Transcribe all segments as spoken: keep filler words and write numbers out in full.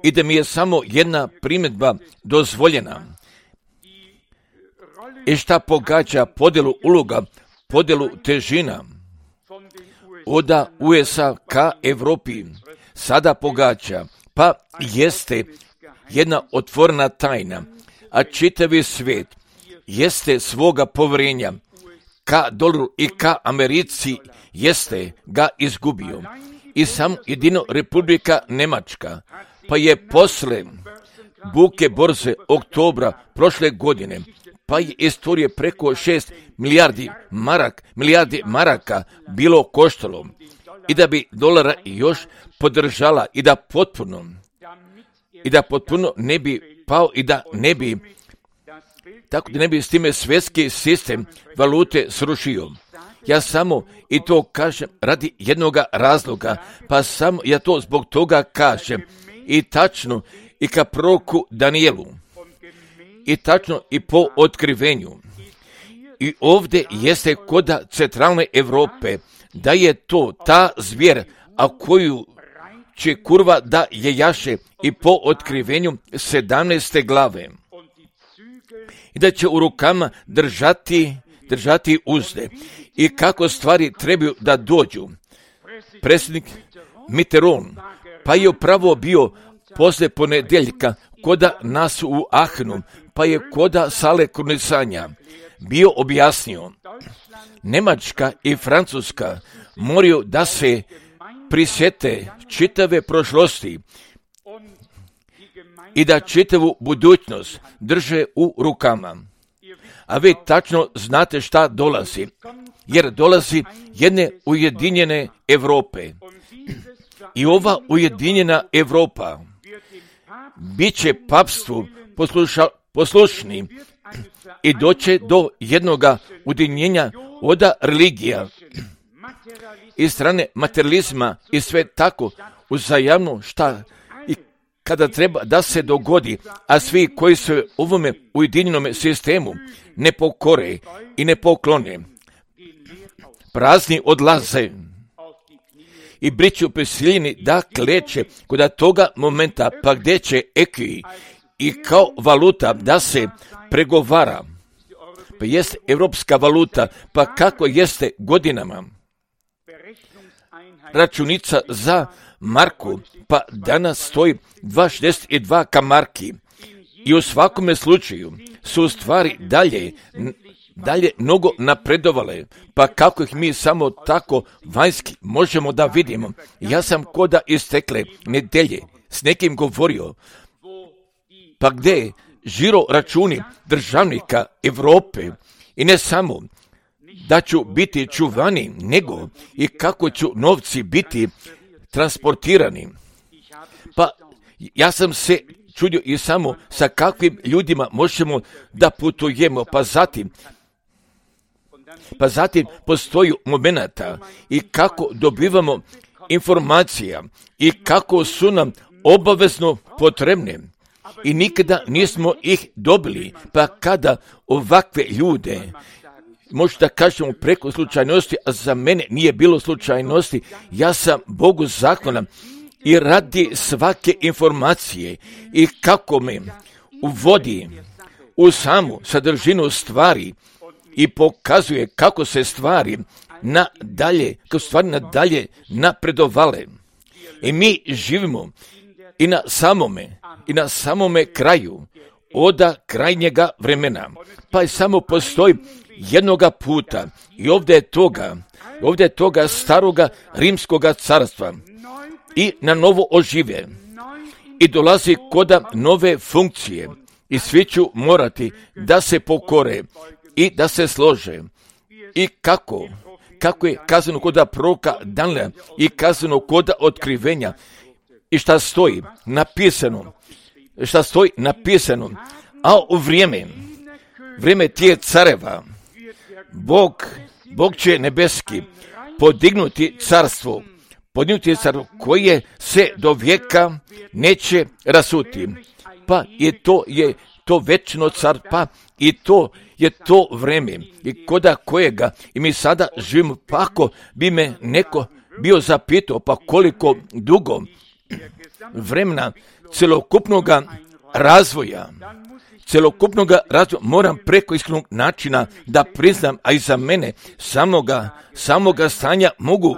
I da mi je samo jedna primjedba dozvoljena. I šta pogađa podjelu uloga, podjelu težina od U S A ka Evropi sada pogađa, pa jeste jedna otvorena tajna, a čitavi svijet jeste svoga povjerenja ka dolaru i ka Americi jeste ga izgubio. I sam jedino Republika Njemačka, pa je posle buke borze oktobra prošle godine, pa je istorije preko šest milijardi marak, milijardi maraka bilo koštalo. I da bi dolara još podržala i da potpuno, i da potpuno ne bi pao i da ne bi, tako da ne bi s time svjetski sistem valute srušio. Ja samo i to kažem radi jednoga razloga, pa samo ja to zbog toga kažem i tačno i ka proroku Danielu i tačno i po otkrivenju. I ovdje jeste koda centralne Europe, da je to ta zvijer, a koju će kurva da je jaše i po otkrivenju sedamnaeste glave. I da će u rukama držati, držati uzde. I kako stvari trebaju da dođu. Predsjednik Mitterrand, pa je upravo bio posle ponedeljka koda nas u Ahnu, pa je koda sale krunisanja bio objasnio. Njemačka i Francuska moraju da se prisjete čitave prošlosti i da čitavu budućnost drže u rukama. A vi tačno znate šta dolazi, jer dolazi jedne ujedinjene Europe. I ova ujedinjena Europa bit će papstvu posluša, poslušni i doće do jednoga ujedinjenja od religija i strane materializma i sve tako uzajamno šta i kada treba da se dogodi, a svi koji su u ovome ujedinjenom sistemu ne pokore i ne poklone, prazni odlaze i biću prisiljeni da kleče kod toga momenta, pa gdje će ekvi i kao valuta da se pregovara. Pa jest evropska valuta, pa kako jeste godinama računica za marku, pa danas stoji dva šezdeset dva ka marki. I u svakome slučaju su stvari dalje, dalje mnogo napredovale, pa kako ih mi samo tako vanjski možemo da vidimo. Ja sam koda istekle nedelje s nekim govorio, pa gdje žiro računi državnika Europe i ne samo da ću biti čuvani, nego i kako ću novci biti transportirani. Pa ja sam se čudio i samo sa kakvim ljudima možemo da putujemo, pa zatim pa zatim postoji momenata i kako dobivamo informacija i kako su nam obavezno potrebne. I nikada nismo ih dobili, pa kada ovakve ljude, možda kažemo preko slučajnosti, a za mene nije bilo slučajnosti, ja sam Bogu zahvalan i radi svake informacije i kako me uvodi u samu sadržinu stvari i pokazuje kako se stvari nadalje, kako stvari nadalje napredovale. I mi živimo i na samome, i na samome kraju, oda krajnjega vremena. Pa je samo postoji jednoga puta i ovdje je toga, ovdje je toga staroga rimskoga carstva i na novo ožive i dolazi koda nove funkcije i svi ću morati da se pokore i da se slože. I kako? Kako je kazano koda proroka Daniela i kazano koda otkrivenja i šta stoji napisano, šta stoji napisano, a u vrijeme, vrijeme tije careva, Bog, Bog će nebeski podignuti carstvo, podignuti carstvo koje se do vijeka neće rasuti. Pa je to, je to večno car, pa i to je to vrijeme i koda kojega i mi sada živimo, pa ako bi me neko bio zapitao, pa koliko dugo vremena celokupnog razvoja, celokupnog razvoja moram preko iskrenog načina da priznam, a i za mene samoga, samoga stanja mogu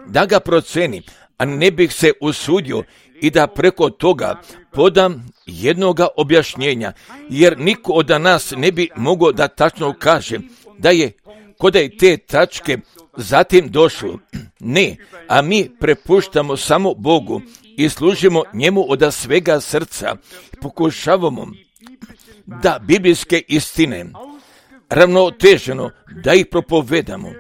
da ga proceni, a ne bih se usudio i da preko toga podam jednoga objašnjenja, jer niko od nas ne bi mogao da tačno kaže da je kod je te tačke zatim došlo. Ne, a mi prepuštamo samo Bogu i služimo njemu od svega srca. Pokušavamo da biblijske istine ravnoteženo da ih propovedamo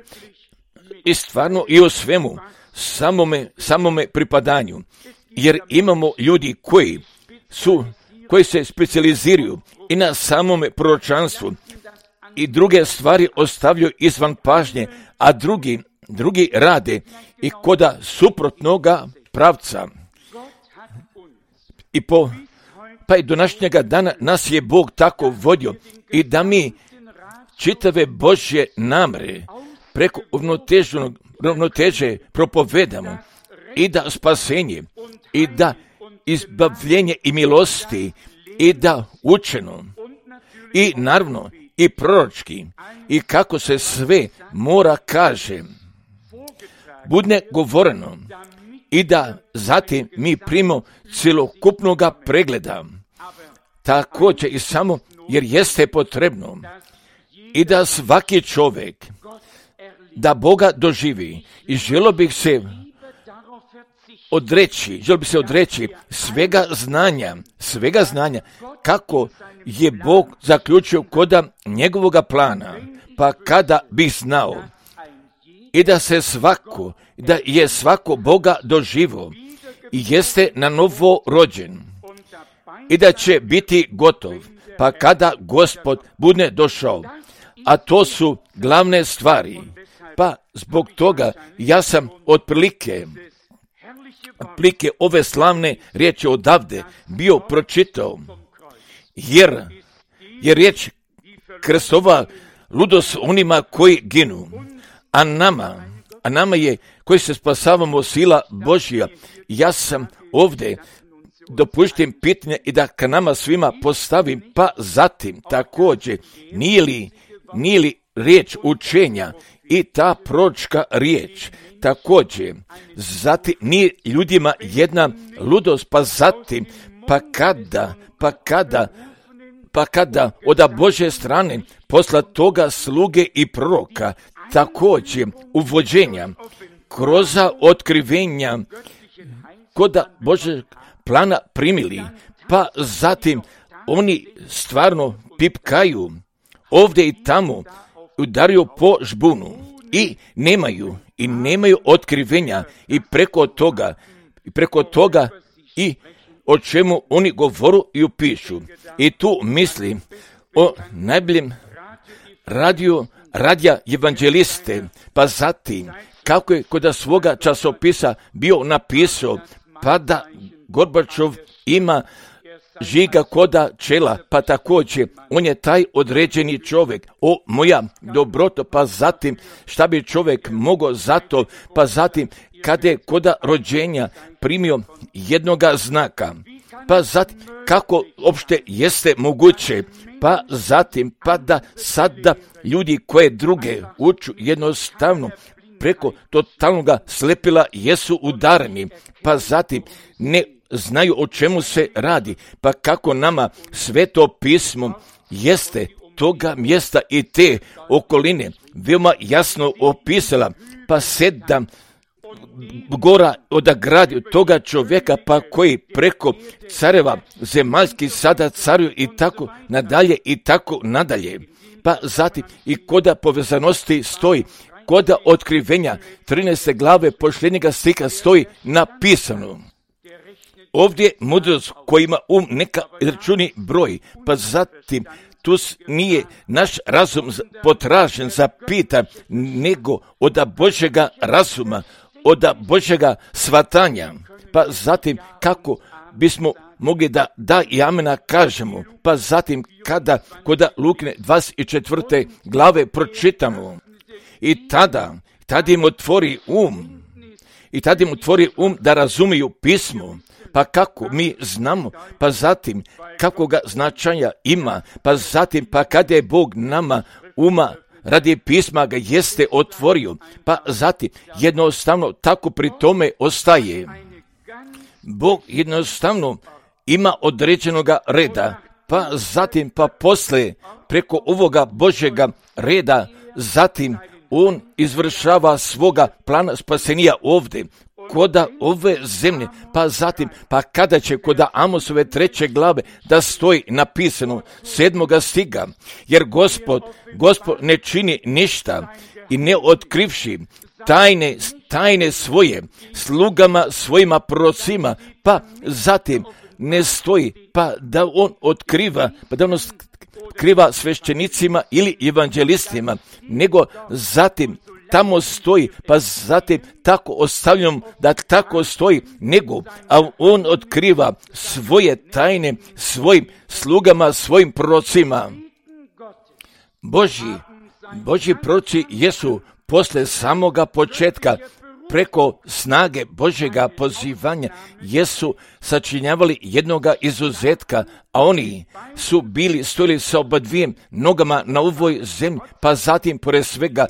i stvarno i o svemu samome, samome pripadanju, jer imamo ljudi koji su koji se specijaliziraju i na samome proročanstvu i druge stvari ostavljaju izvan pažnje, a drugi, drugi rade i koda suprotnoga pravca. I po, pa i do današnjega dana nas je Bog tako vodio i da mi čitave Božje namre preko ravnoteže propovedamo i da spasenje i da izbavljenje i milosti i da učeno i naravno i proročki i kako se sve mora kaže bude govoreno i da zatim mi primimo cjelokupnog pregleda također i samo jer jeste potrebno i da svaki čovjek da Boga doživi i želio bih se odreći, želio bih se odreći svega znanja, svega znanja kako je Bog zaključio koda njegovoga plana, pa kada bih znao i da se svako, da je svako Boga doživo i jeste na novo rođen i da će biti gotov, pa kada Gospod bude došao, a to su glavne stvari, pa zbog toga ja sam otprilike Plike ove slavne riječi odavde bio pročitao, jer je riječ krstova ludost onima koji ginu, a nama, a nama je koji se spasavamo sila Božja. Ja sam ovdje dopuštim pitanje i da ka nama svima postavim, pa zatim također nije li, nije li riječ učenja i ta proročka riječ također, zatim nije ljudima jedna ludost, pa zatim, pa kada, pa kada, pa kada od Božje strane posla toga sluge i proroka, također uvođenja, kroz otkrivenja, koda Božeg plana primili, pa zatim oni stvarno pipkaju ovdje i tamo, udaraju po žbunu i nemaju i nemaju otkrivenja i preko toga i preko toga i o čemu oni govoru i upišu. I tu mislim o najboljem radio, radija evanđeliste, pa zatim kako je kod svoga časopisa bio napisao, pa da Gorbačov ima žiga koda čela, pa također on je taj određeni čovjek. O moja dobroto, pa zatim šta bi čovjek mogao zato, pa zatim kada je koda rođenja primio jednoga znaka, pa zatim kako opšte jeste moguće, pa zatim pa da sada ljudi koje druge uču jednostavno preko totalnoga slepila jesu udareni, pa zatim ne znaju o čemu se radi, pa kako nama Sveto pismo jeste toga mjesta i te okoline veoma jasno opisala, pa sedam gora odagradio toga čovjeka, pa koji preko careva zemaljski sada caruju i tako nadalje i tako nadalje. Pa zatim i koda povezanosti stoji, koda otkrivenja trinaeste glave posljednjega stiha stoji napisano. Ovdje mudrost koji ima um neka računi broj, pa zatim tu nije naš razum potražen za pita, nego od Božjega razuma, od Božjega svatanja, pa zatim kako bismo mogli da da i amena kažemo, pa zatim kada koda Lukine dvadeset četvrte glave pročitamo i tada, tada im otvori um i tada im otvori um da razumiju pismo. Pa kako mi znamo, pa zatim kako ga značaja ima, pa zatim pa kada je Bog nama uma radi pisma ga jeste otvorio, pa zatim jednostavno tako pri tome ostaje. Bog jednostavno ima određenoga reda, pa zatim pa posle preko ovoga Božjega reda, zatim on izvršava svoga plana spasenija ovdje, koda ove zemlje, pa zatim, pa kada će koda Amosove treće glave da stoji napisano sedmoga stiga, jer Gospod, Gospod ne čini ništa i ne otkrivši tajne, tajne svoje slugama svojima prorocima, pa zatim ne stoji, pa da on otkriva, pa da on otkriva svešćenicima ili evanđelistima, nego zatim tamo stoji, pa zatim tako ostavljam da tako stoji, nego, a on otkriva svoje tajne svojim slugama, svojim prorocima. Božji, Božji proroci jesu posle samoga početka preko snage Božjega pozivanja jesu sačinjavali jednoga izuzetka, a oni su bili stojili sa oba dvijem nogama na ovoj zemlji, pa zatim pored svega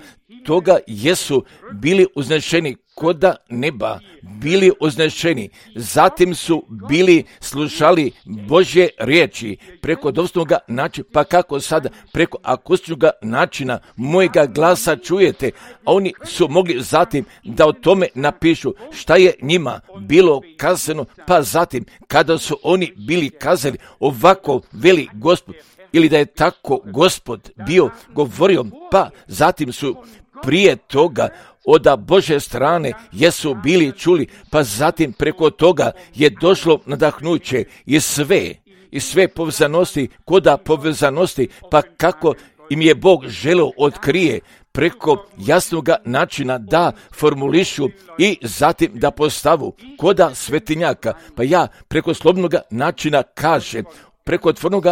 toga jesu bili uznešeni koda neba, bili uznešeni, zatim su bili slušali Božje riječi preko dostupnoga načina, pa kako sada preko akustičnog načina mojega glasa čujete, a oni su mogli zatim da o tome napišu šta je njima bilo kazano, pa zatim kada su oni bili kazali ovako veli Gospod, ili da je tako Gospod bio govorio, pa zatim su prije toga od Božje strane jesu bili čuli, pa zatim preko toga je došlo nadahnuće i sve, i sve povezanosti, koda povezanosti, pa kako im je Bog želeo otkrije preko jasnog načina da formulišu i zatim da postavu koda svetinjaka, pa ja preko slobodnog načina kažem, preko otvornog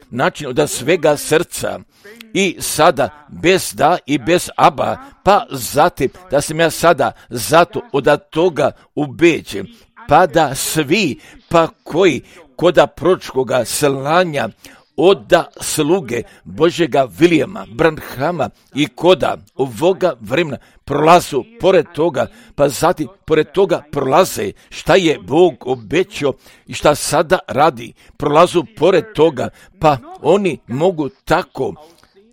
načina od svega srca i sada bez da i bez aba, pa zatim da sam ja sada zato od toga ubeđen, pa da svi pa koji koda proročkoga slanja oda sluge Božjega Vilijama, Branhama i koda ovoga vremena prolazu pored toga, pa zatim pored toga prolaze šta je Bog obećao i šta sada radi, prolazu pored toga, pa oni mogu tako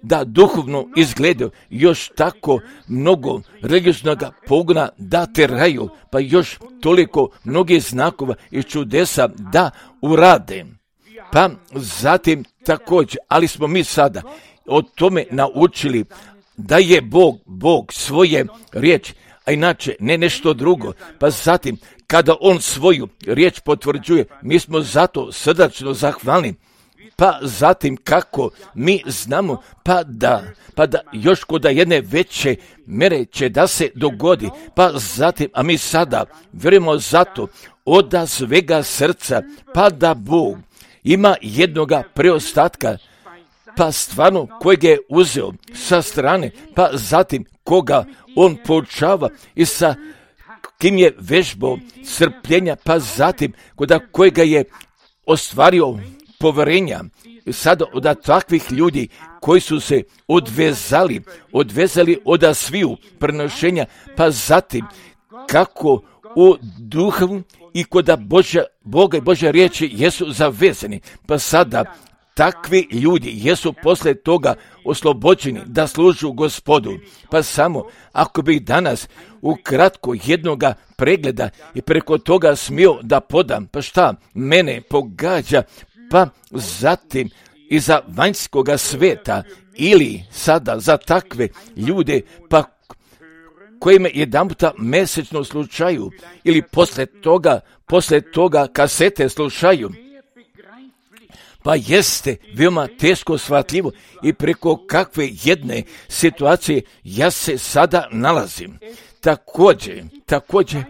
da duhovno izgledaju još tako mnogo religioznog pogona da teraju, pa još toliko mnogih znakova i čudesa da urade. Pa zatim također, ali smo mi sada o tome naučili da je Bog, Bog svoje riječi, a inače ne nešto drugo. Pa zatim, kada On svoju riječ potvrđuje, mi smo zato srdačno zahvalni. Pa zatim kako mi znamo, pa da, pa da još kod jedne veće mere će da se dogodi, pa zatim, a mi sada vjerujemo zato od svega srca, pa da Bog ima jednoga preostatka, pa stvarno kojeg je uzeo sa strane, pa zatim koga on poučava i sa kim je vežbao strpljenja, pa zatim kod kojega je ostvario poverenja. Sada od takvih ljudi koji su se odvezali, odvezali od sviju prenošenja, pa zatim kako u duhu i kod Božja, Boga i Božja riječi jesu zavezani, pa sada takvi ljudi jesu posle toga oslobođeni da služu Gospodu. Pa samo ako bih danas ukratko jednoga pregleda i preko toga smio da podam, pa šta mene pogađa, pa zatim iza vanjskoga sveta ili sada za takve ljude, pa koji me jedan puta mesečno slušaju ili posle toga, posle toga kasete slušaju, pa jeste veoma teško shvatljivo i preko kakve jedne situacije ja se sada nalazim. Također, također,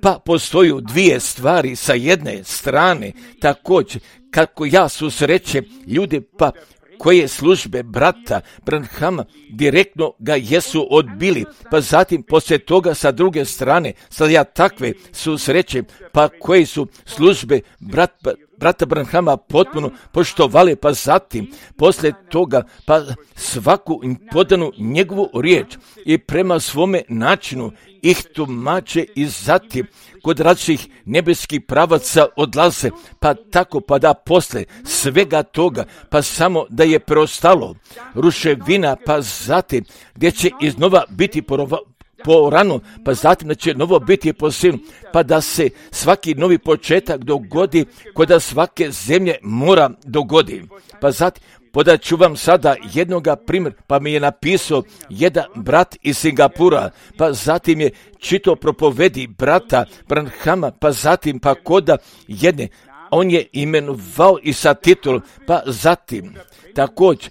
pa postoju dvije stvari sa jedne strane, također, kako ja susrećem ljude, pa koje službe brata Branhama direktno ga jesu odbili, pa zatim poslije toga sa druge strane, sad ja takve susreće, pa koje su službe brata brata Branhama potpuno poštovali, pa zatim poslije toga pa svaku im podanu njegovu riječ i prema svome načinu ih tumače i zatim kod različitih nebeskih pravaca odlaze, pa tako pa da poslije svega toga pa samo da je preostalo ruševina, pa zatim gdje će iznova biti porova, po ranu, pa zatim da će novo biti po sinu, pa da se svaki novi početak dogodi, kod da svake zemlje mora dogodi. Pa zatim, podat ću vam sada jednoga primjer, pa mi je napisao jedan brat iz Singapura, pa zatim je čito propovedi brata Branhama, pa zatim pa koda jedne, on je imenovao i sa titulom, pa zatim također,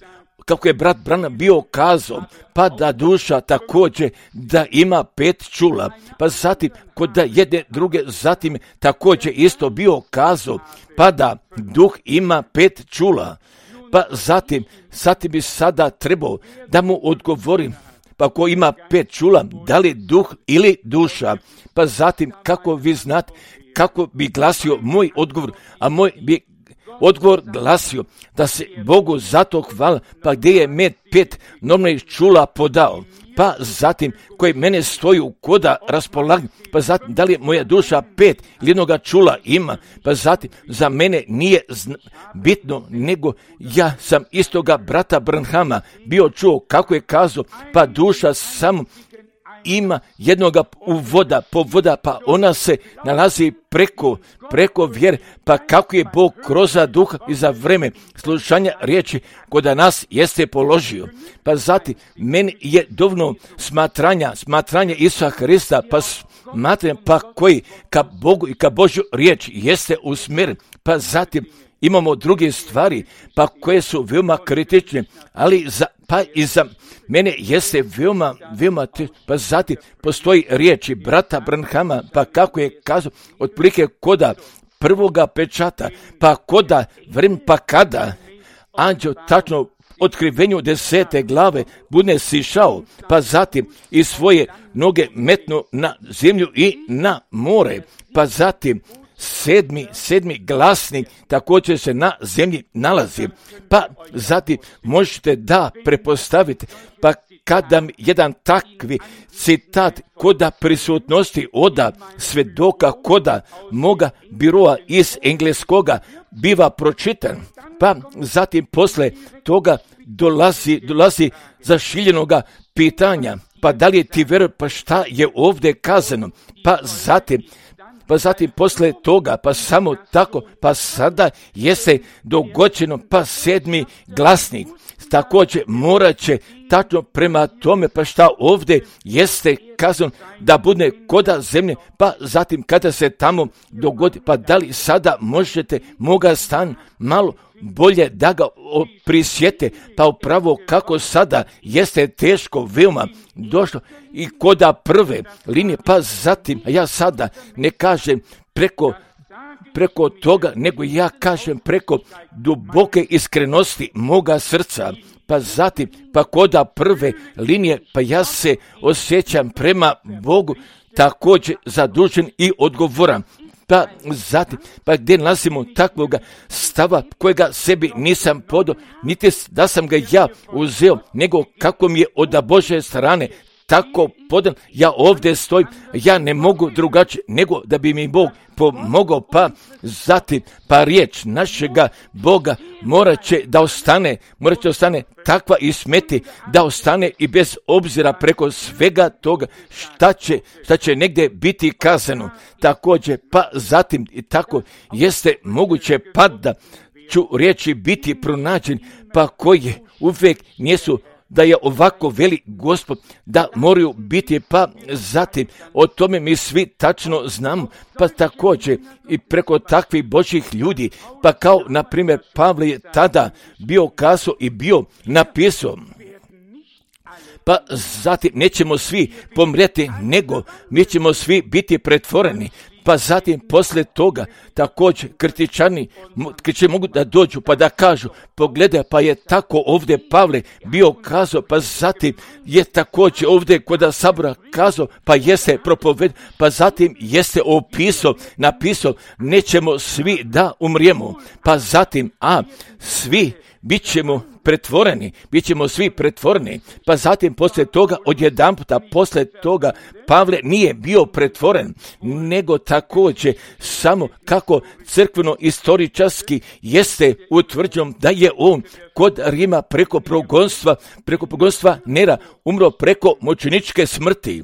kako je brat Branham bio kazao, pa da duša također da ima pet čula, pa zatim kod da jedne druge, zatim također isto bio kazao, pa da duh ima pet čula, pa zatim, zatim bi sada trebao da mu odgovorim, pa ko ima pet čula, da li duh ili duša, pa zatim kako vi znate, kako bi glasio moj odgovor, a moj bi odgovor glasio da se Bogu zato hvala, pa gdje je med pet normalnih čula podao, pa zatim koji mene stoji u koda raspolaga, pa zatim da li je moja duša pet ili jednoga čula ima, pa zatim za mene nije zna, bitno, nego ja sam istoga brata Branhama bio čuo kako je kazao, pa duša samo ima jednoga uvoda, povoda, pa ona se nalazi preko, preko vjere, pa kako je Bog kroz duha i za vreme slušanja riječi kod nas jeste položio. Pa zatim, meni je dovoljno smatranja, smatranja Isusa Hrista, pa smatram, pa koji ka Bogu i ka Božju riječ jeste usmjeren, pa zatim imamo druge stvari, pa koje su veoma kritične, ali za, pa i za mene jeste veoma, veoma, pa zatim postoji riječi brata Branhama, pa kako je kazao, otprilike koda prvoga pečata, pa koda vrem, pa kada anđeo tačno otkrivenju desete glave bude sišao, pa zatim i svoje noge metnu na zemlju i na more, pa zatim sedmi, sedmi glasnik također se na zemlji nalazi, pa zatim možete da prepostavite, pa kada jedan takvi citat koda prisutnosti oda svedoka koda moga biroa iz engleskoga biva pročitan, pa zatim posle toga dolazi, dolazi zašiljenoga pitanja, pa da li je ti vjeruje, pa šta je ovdje kazano, pa zatim Pa zatim posle toga, pa samo tako, pa sada jeste dogođeno, pa sedmi glasnik. Također morat će tačno prema tome, pa šta ovdje jeste kazano da bude koda zemlje, pa zatim kada se tamo dogodi, pa da li sada možete moga stan malo bolje da ga prisjete, pa upravo kako sada jeste teško veoma došlo i koda prve linije, pa zatim ja sada ne kažem preko preko toga, nego ja kažem preko duboke iskrenosti moga srca, pa zatim pa koda prve linije, pa ja se osjećam prema Bogu također zadužen i odgovoran. Pa zatim, pa gdje nalazimo takvoga stava kojega sebi nisam podao, niti da sam ga ja uzeo, nego kako mi je od Božje strane tako podan, ja ovdje stojim, ja ne mogu drugačije, nego da bi mi Bog pomogao, pa zatim, pa riječ našega Boga morat će da ostane, morat će da ostane takva i smeti, da ostane i bez obzira preko svega toga šta će, šta će negdje biti kazano. Također, pa zatim i tako jeste moguće pa da ću riječi biti pronađen, pa koje uvijek nisu da je ovako veli Gospod, da moraju biti, pa zatim o tome mi svi tačno znamo, pa također i preko takvih Božjih ljudi, pa kao na primjer Pavle je tada bio kazao i bio napisao, pa zatim nećemo svi pomrijeti, nego mi ćemo svi biti pretvoreni, Pa zatim poslije toga također kritičani mogu da dođu pa da kažu, pogledaj, pa je tako ovdje Pavle bio kazao, pa zatim je također ovdje kod sabora kazao, pa jeste propoved, pa zatim jeste opisao, napisao, nećemo svi da umrijemo, pa zatim, a svi bit ćemo pretvoreni, bit ćemo svi pretvoreni, pa zatim poslije toga, odjedanputa poslije toga, Pavle nije bio pretvoren, nego također samo kako crkveno istoričarski jeste utvrđeno da je on kod Rima preko progonstva, preko progonstva Nera umro preko mučeničke smrti.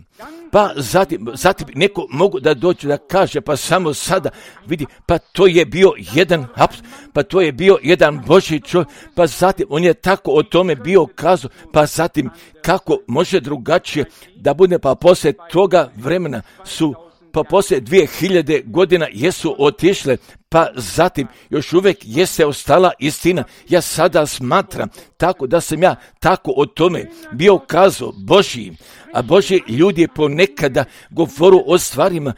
Pa zatim, zatim neko mogu da dođe da kaže, pa samo sada vidi, pa to je bio jedan pa to je bio jedan Božji čovjek, pa zatim on je tako o tome bio kazao, pa zatim kako može drugačije da bude, pa poslije toga vremena su, pa poslije dvije hiljade godina jesu otišle, pa zatim još uvijek jeste ostala istina. Ja sada smatram tako da sam ja tako o tome bio kazao Božji, a Božji ljudi ponekada govoru o stvarima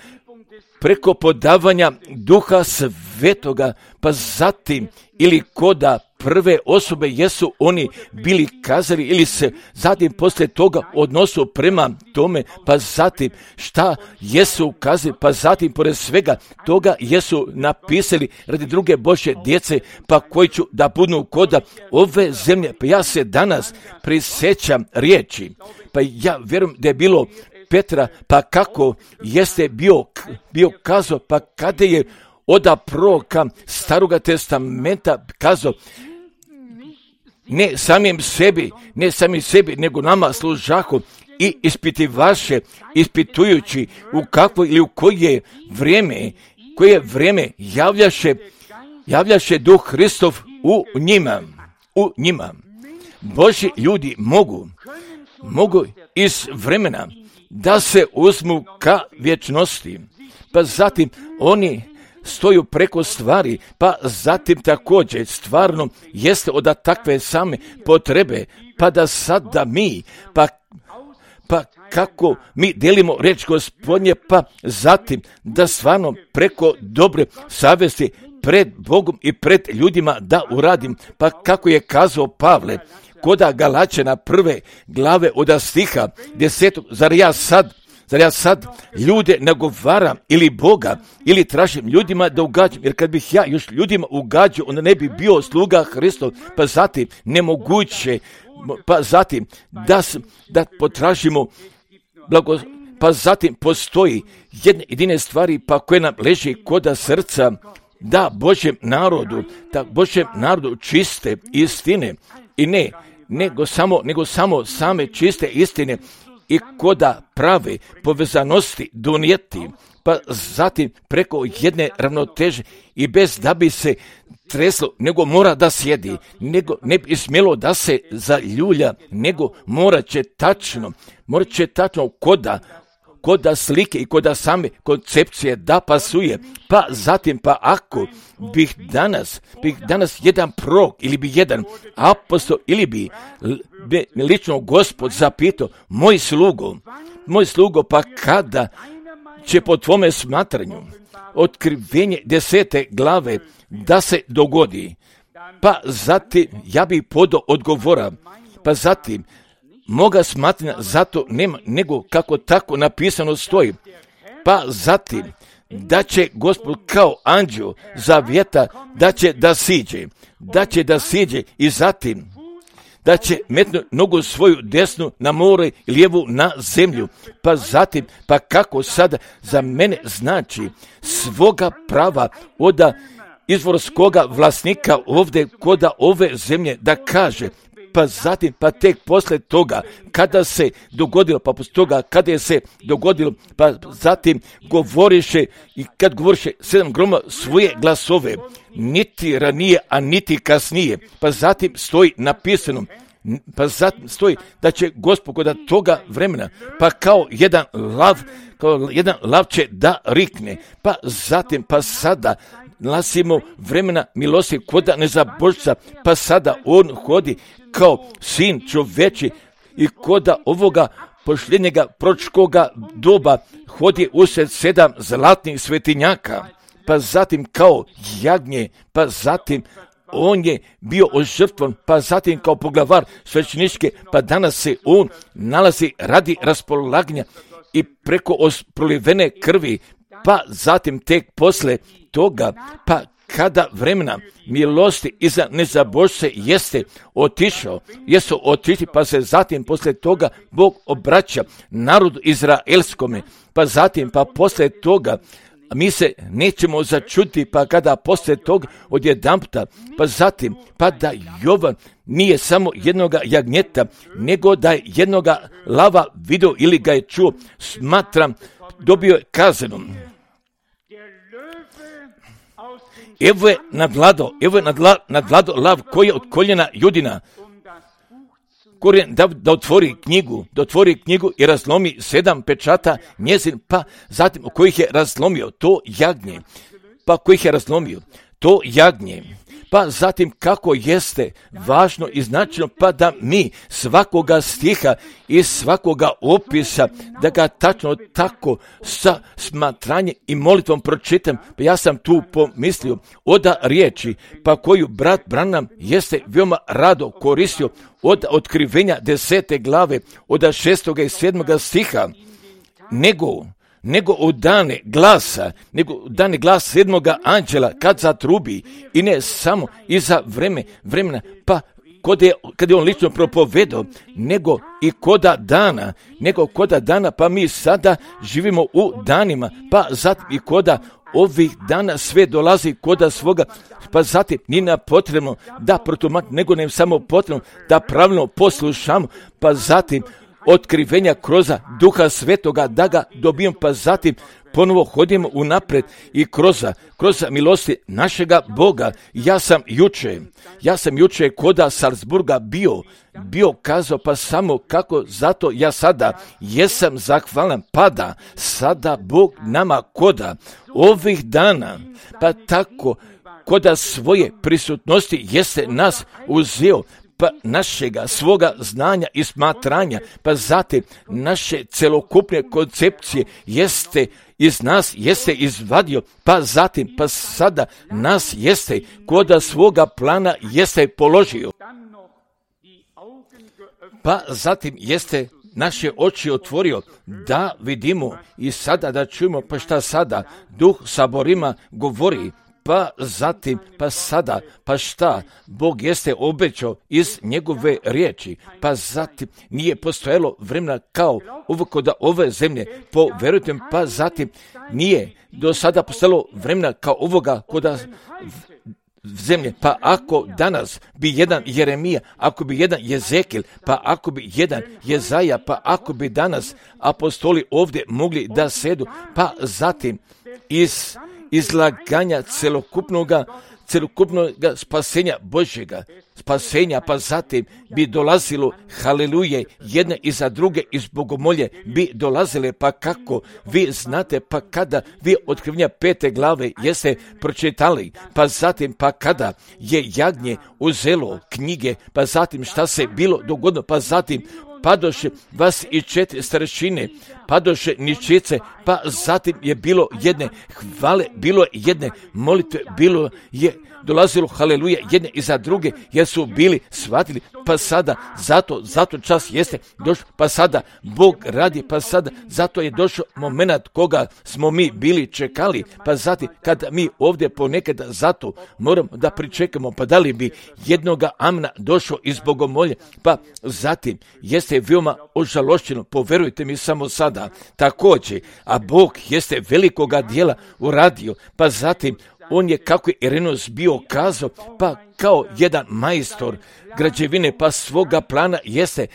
preko podavanja Duha Svetoga, pa zatim ili koda prve osobe jesu oni bili kazali ili se zatim poslije toga odnosu prema tome, pa zatim šta jesu kazali, pa zatim pored svega toga jesu napisali radi druge Božje djece, pa koji ću da budu koda ove zemlje. Pa ja se danas prisjećam riječi, pa ja vjerujem da je bilo Petra, pa kako jeste bio, bio kazao, pa kada je oda proroka Staroga testamenta kazao, ne samim sebi, ne samim sebi, nego nama služahu i ispitivaše, ispitujući u kakvo ili u koje vrijeme, koje vrijeme javljaše, javljaše Duh Hristov u njima, u njima. Božji ljudi mogu, mogu iz vremena da se uzmu ka vječnosti, pa zatim oni stoju preko stvari, pa zatim također stvarno jeste od takve same potrebe, pa da sada mi, pa, pa kako mi delimo reč Gospodnje, pa zatim da stvarno preko dobre savjesti pred Bogom i pred ljudima da uradim, pa kako je kazao Pavle, koda Galačana prve glave od stiha desetog, zar ja sad, zar ja sad ljude nagovaram ili Boga, ili tražim ljudima da ugađam, jer kad bih ja još ljudima ugađao, onda ne bi bio sluga Hristov, pa zatim nemoguće, pa zatim da, da potražimo blago, pa zatim postoji jedne jedine stvari pa koje nam leži koda srca, da Božjem narodu, da Božjem narodu čiste istine i ne, nego samo, nego samo same čiste istine i koda prave povezanosti donijeti, pa zatim preko jedne ravnoteže i bez da bi se treslo, nego mora da sjedi, nego ne bi smjelo da se zaljulja, nego mora će tačno, mora će tačno koda, koda slike i koda same koncepcije da pasuje, pa zatim pa ako bih danas, bih danas jedan prorok ili bi jedan apostol ili bi, bi lično Gospod zapitao, moj slugo, moj slugo, pa kada će po tvome smatranju otkrivenje desete glave da se dogodi, pa zatim ja bih podao odgovora, pa zatim moga smatranja zato nema, nego kako tako napisano stoji, pa zatim da će Gospod kao anđeo zavjeta da će da siđe, da će da siđe i zatim da će metnu nogu svoju desnu na more i lijevu na zemlju, pa zatim, pa kako sada za mene znači svoga prava oda izvorskoga vlasnika ovdje koda ove zemlje da kaže, pa zatim, pa tek posle toga, kada se dogodilo, pa posle toga, kada je se dogodilo, pa zatim govoriše i kad govoriše sedam groma svoje glasove, niti ranije, a niti kasnije, pa zatim stoji napisano, pa zatim stoji da će Gospod kod toga vremena, pa kao jedan lav, kao jedan lav će da rikne, pa zatim, pa sada, nalazimo vremena milosti koda nezabožca, pa sada on hodi kao sin čoveči i koda ovoga posljednjega proročkoga doba hodi usred sedam zlatnih svetinjaka, pa zatim kao jagnje, pa zatim on je bio ožrtvovan, pa zatim kao poglavar svećeničke, pa danas se on nalazi radi raspolaganja i preko prolivene krvi, pa zatim tek posle toga, pa kada vremena milosti iza nezabožce jeste otišao, jesu otišli, pa se zatim posle toga Bog obraća narodu izraelskome, pa zatim pa posle toga mi se nećemo začuti, pa kada posle toga odjedanputa, pa zatim pa da Jovan nije samo jednoga jagnjeta, nego da je jednoga lava video ili ga je čuo, smatram, dobio je kaznu. Evo je nadvlado, evo je nadla, nadvlado lav koji je od koljena Judina, Korijen da, da otvori knjigu, da otvori knjigu i razlomi sedam pečata njezin, pa zatim u kojih je razlomio to jagnje, pa kojih je razlomio to jagnje, pa zatim kako jeste važno i značajno, pa da mi svakoga stiha i svakoga opisa, da ga tačno tako sa smatranjem i molitvom pročitam, pa ja sam tu pomislio oda riječi, pa koju brat Branham jeste veoma rado koristio od otkrivenja desete glave, od šestoga i sedmoga stiha, nego nego u dane glasa, nego u dane glasa sedmoga anđela kad zatrubi, i ne samo i za vreme, vremena, pa kod je, kad je on lično propovedao, nego i koda dana, nego koda dana, pa mi sada živimo u danima, pa zatim i koda ovih dana sve dolazi koda svoga, pa zatim nije nam potrebno da protumačimo, nego nam samo potrebno da pravilno poslušamo, pa zatim otkrivenja kroz Duha Svetoga da ga dobijemo, pa zatim ponovo hodimo unapred i kroz, kroz milosti našega Boga. Ja sam juče, ja sam juče koda Salzburga bio, bio kazao, pa samo kako, zato ja sada jesam zahvalan, pa da sada Bog nama koda ovih dana, pa tako koda svoje prisutnosti jeste nas uzeo, pa našega svoga znanja i smatranja, pa zatim naše celokupne koncepcije jeste iz nas jeste izvadio, pa zatim pa sada nas jeste koda svoga plana jeste položio, pa zatim jeste naše oči otvorio da vidimo i sada da čujemo, pa šta sada Duh saborima govori, pa zatim, pa sada, pa šta Bog jeste obećao iz njegove riječi, pa zatim nije postojalo vremena kao ovo koda ove zemlje, poverujte mi, pa zatim nije do sada postojalo vremena kao ovoga koda zemlje, pa ako danas bi jedan Jeremija, ako bi jedan Jezekil, pa ako bi jedan Jezaja, pa ako bi danas apostoli ovdje mogli da sedu, pa zatim iz izlaganja celokupnoga, celokupnoga spasenja Božjega, spasenja, pa zatim bi dolazilo, haleluje, jedne iza druge iz bogomolje bi dolazile, pa kako vi znate, pa kada vi otkrivenja pete glave jeste pročitali, pa zatim pa kada je jagnje uzelo knjige, pa zatim šta se bilo dogodilo, pa zatim padoše vas i četiri starešine, padoše ničice, pa zatim je bilo jedne hvale, bilo je jedne molitve, bilo je dolazilo, haleluja, jedne iza druge, jer su bili shvatili, pa sada, zato, zato čas jeste došao, pa sada Bog radi, pa sada, zato je došao moment koga smo mi bili čekali, pa zatim, kada mi ovdje ponekad zato moramo da pričekamo, pa da li bi jednoga amna došao iz bogomolje, pa zatim jeste veoma ožalošćeno, poverujte mi samo sada, također, a Bog jeste velikoga dijela uradio, pa zatim on je, kako je Irenos bio kazao, pa kao jedan majstor građevine, pa svoga plana jeste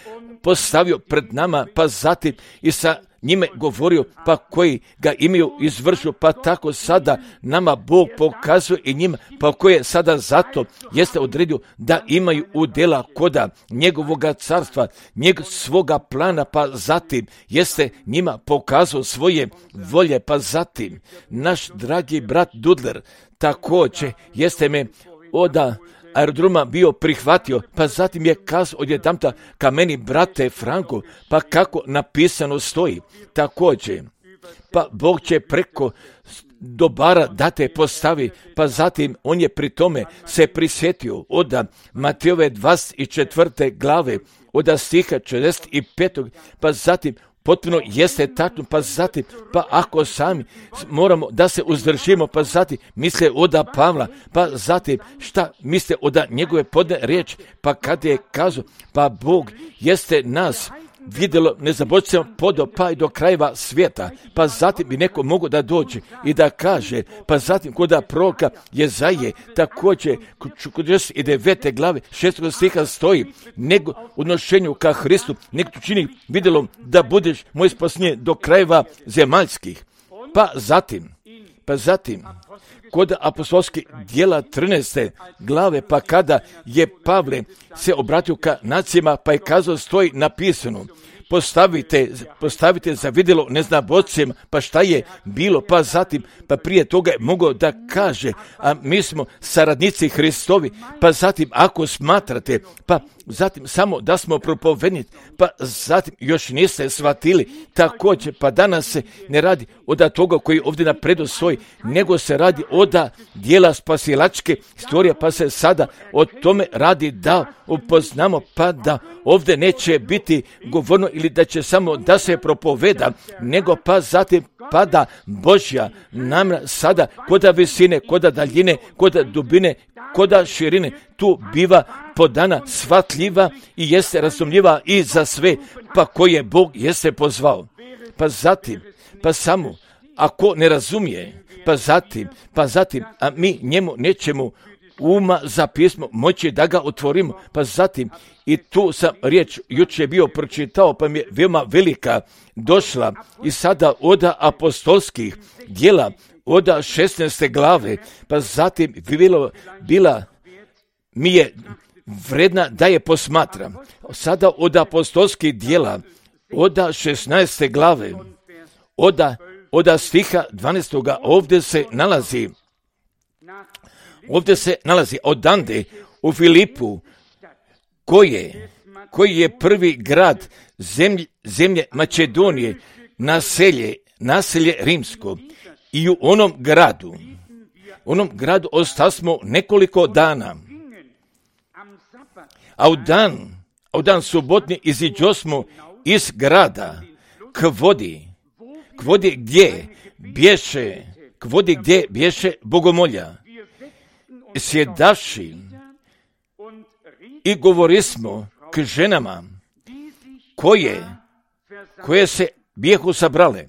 postavio pred nama, pa zatim i sa njime govorio, pa koji ga imaju izvršio, pa tako sada nama Bog pokazuje i njima, pa koje sada zato jeste odredio da imaju udjela koda njegovoga carstva, njeg svoga plana, pa zatim jeste njima pokazao svoje volje, pa zatim naš dragi brat Dudler također jeste me oda aerodroma bio prihvatio, pa zatim je kazao odjedanputa ka meni, brate Franko, pa kako napisano stoji. Također, pa Bog će preko dobara da te postavi, pa zatim on je pri tome se prisjetio od Matejove dvadeset četvrte glave, od stiha četrdeset pet, pa zatim potpuno jeste tačno, pa zatim, pa ako sami moramo da se uzdržimo, pa zatim misle oda Pavla, pa zatim šta misle oda njegove podne riječi, pa kad je kazao, pa Bog jeste nas vidjelo nezaboravljivo podo pa i do krajeva svijeta, pa zatim bi neko mogo da dođe i da kaže, pa zatim kod proroka Jezaje također kod četrdeset devete glave šestog stiha stoji, nego u odnošenju ka Hristu nek tu čini vidjelo da budeš moj spasenje do krajeva zemaljskih. Pa zatim, pa zatim kod apostolskih djela trinaeste glave, pa kada je Pavle se obratio ka nacijama, pa je kazao, stoji napisano, postavite, postavite za vidjelo neznabošcima, pa šta je bilo, pa zatim, pa prije toga je mogao da kaže, a mi smo saradnici Hristovi, pa zatim ako smatrate, pa zatim samo da smo propovednici, pa zatim još niste shvatili, također, pa danas se ne radi od toga koji ovdje napredu stoji, nego se radi od dijela spasilačke istorije, pa se sada o tome radi da upoznamo, pa da ovdje neće biti govorno ili da će samo da se propoveda, nego pa zatim pada Božja namjera sada koda visine, koda daljine, koda dubine, koda širine, tu biva podana shvatljiva i jeste razumljiva i za sve, pa koje Bog jeste pozvao. Pa zatim, pa samo, ako ne razumije, pa zatim, pa zatim, a mi njemu nećemo uma za pismo moći da ga otvorimo, pa zatim, i tu sam riječ jučer bio pročitao, pa mi je veoma velika došla i sada od apostolskih djela, od šesnaeste glave, pa zatim bilo, bila mi je vredna da je posmatram. Sada od apostolskih djela, od šesnaeste glave, od, od stiha dvanaestoga ovdje se nalazi, ovdje se nalazi odande u Filipu, koje, koji je prvi grad zemlje, zemlje Makedonije, naselje, naselje rimsko. I u onom gradu, onom gradu ostasmo nekoliko dana. A u dan, a u dan subotni iziđosmo iz grada k vodi, k vodi gdje bješe, k vodi gdje bješe bogomolja. Sjedavši i govorismo k ženama koje, koje se bijehu sabrale.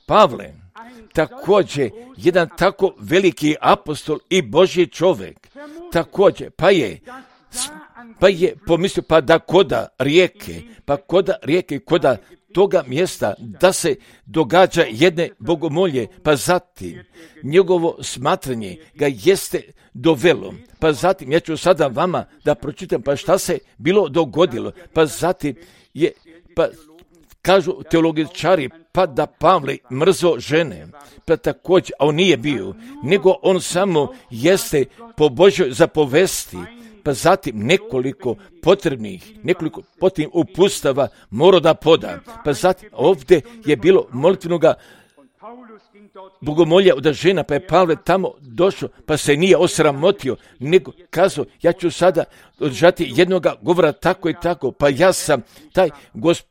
Pavle, također jedan tako veliki apostol i Božji čovjek, također, pa je, pa je pomislio, pa da koda rijeke, pa koda rijeke, koda toga mjesta da se događa jedne bogomolje, pa zatim njegovo smatranje ga jeste dovelo, pa zatim ja ću sada vama da pročitam pa šta se bilo dogodilo, pa zatim je, pa kažu teologičari, pa da Pavle mrzo žene, pa također, a on nije bio, nego on samo jeste po Božjoj zapovesti, pa zatim nekoliko potrebnih, nekoliko potrebnih upustava mora da poda. Pa zatim ovdje je bilo molitvenoga bogomolja od žena, pa je Pavle tamo došao, pa se nije osramotio, nego kazao, ja ću sada održati jednoga govora tako i tako, pa ja sam taj gosp,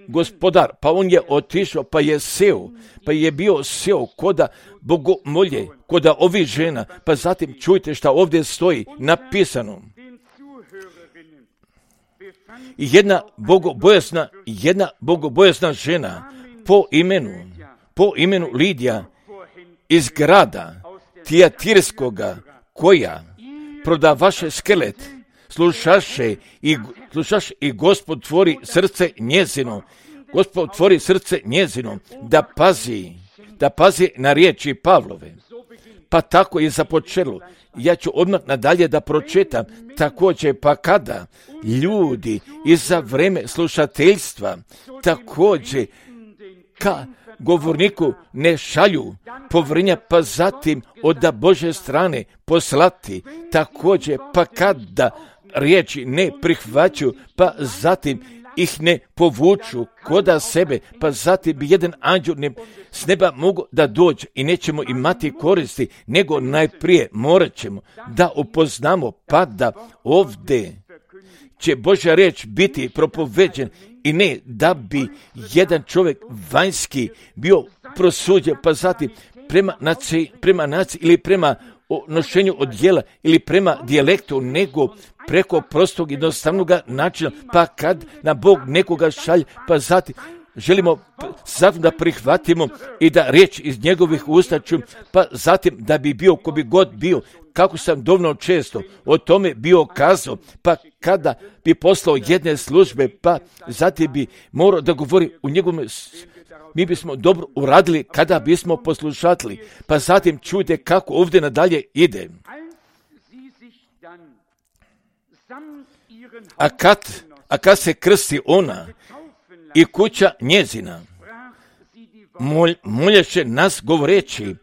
gospodar, pa on je otišao, pa je seo, pa je bio seo koda bogomolje, koda ovih žena, pa zatim čujte šta ovdje stoji napisano. Jedna bogobojasna, jedna bogobojasna žena po imenu, po imenu Lidija iz grada Tijatirskoga, koja prodavaše skelet, slušaše i, slušaše i Gospod tvori srce njezino, Gospod tvori srce njezino, da pazi, da pazi na riječi Pavlove. Pa tako je započelo. Ja ću odmah nadalje da pročitam, također pa kada ljudi i za vreme slušateljstva također ka govorniku ne šalju povjerenja, pa zatim od Božje strane poslati također, pa kada riječi ne prihvaću, pa zatim ih ne povuču koda sebe, pa zatim bi jedan anđel ne, s neba mogu da dođe i nećemo imati koristi, nego najprije morat ćemo da upoznamo, pa da ovdje će Božja riječ biti propoveđen i ne da bi jedan čovjek vanjski bio prosuđen, pa zatim prema naciji, prema naciji ili prema nošenju odjela ili prema dijalektu, nego preko prostog jednostavnog načina, pa kad na Bog nekoga šalje, pa zatim želimo zatim da prihvatimo i da riječ iz njegovih usta čujem, pa zatim da bi bio ko bi god bio, kako sam dovoljno često o tome bio kazao, pa kada bi poslao jedne službe, pa zatim bi morao da govori u njegovom, mi bismo dobro uradili kada bismo poslušali, pa zatim čujte kako ovdje nadalje ide. A kad, a kad se krsti ona i kuća njezina, mol, molješe nas govoreći,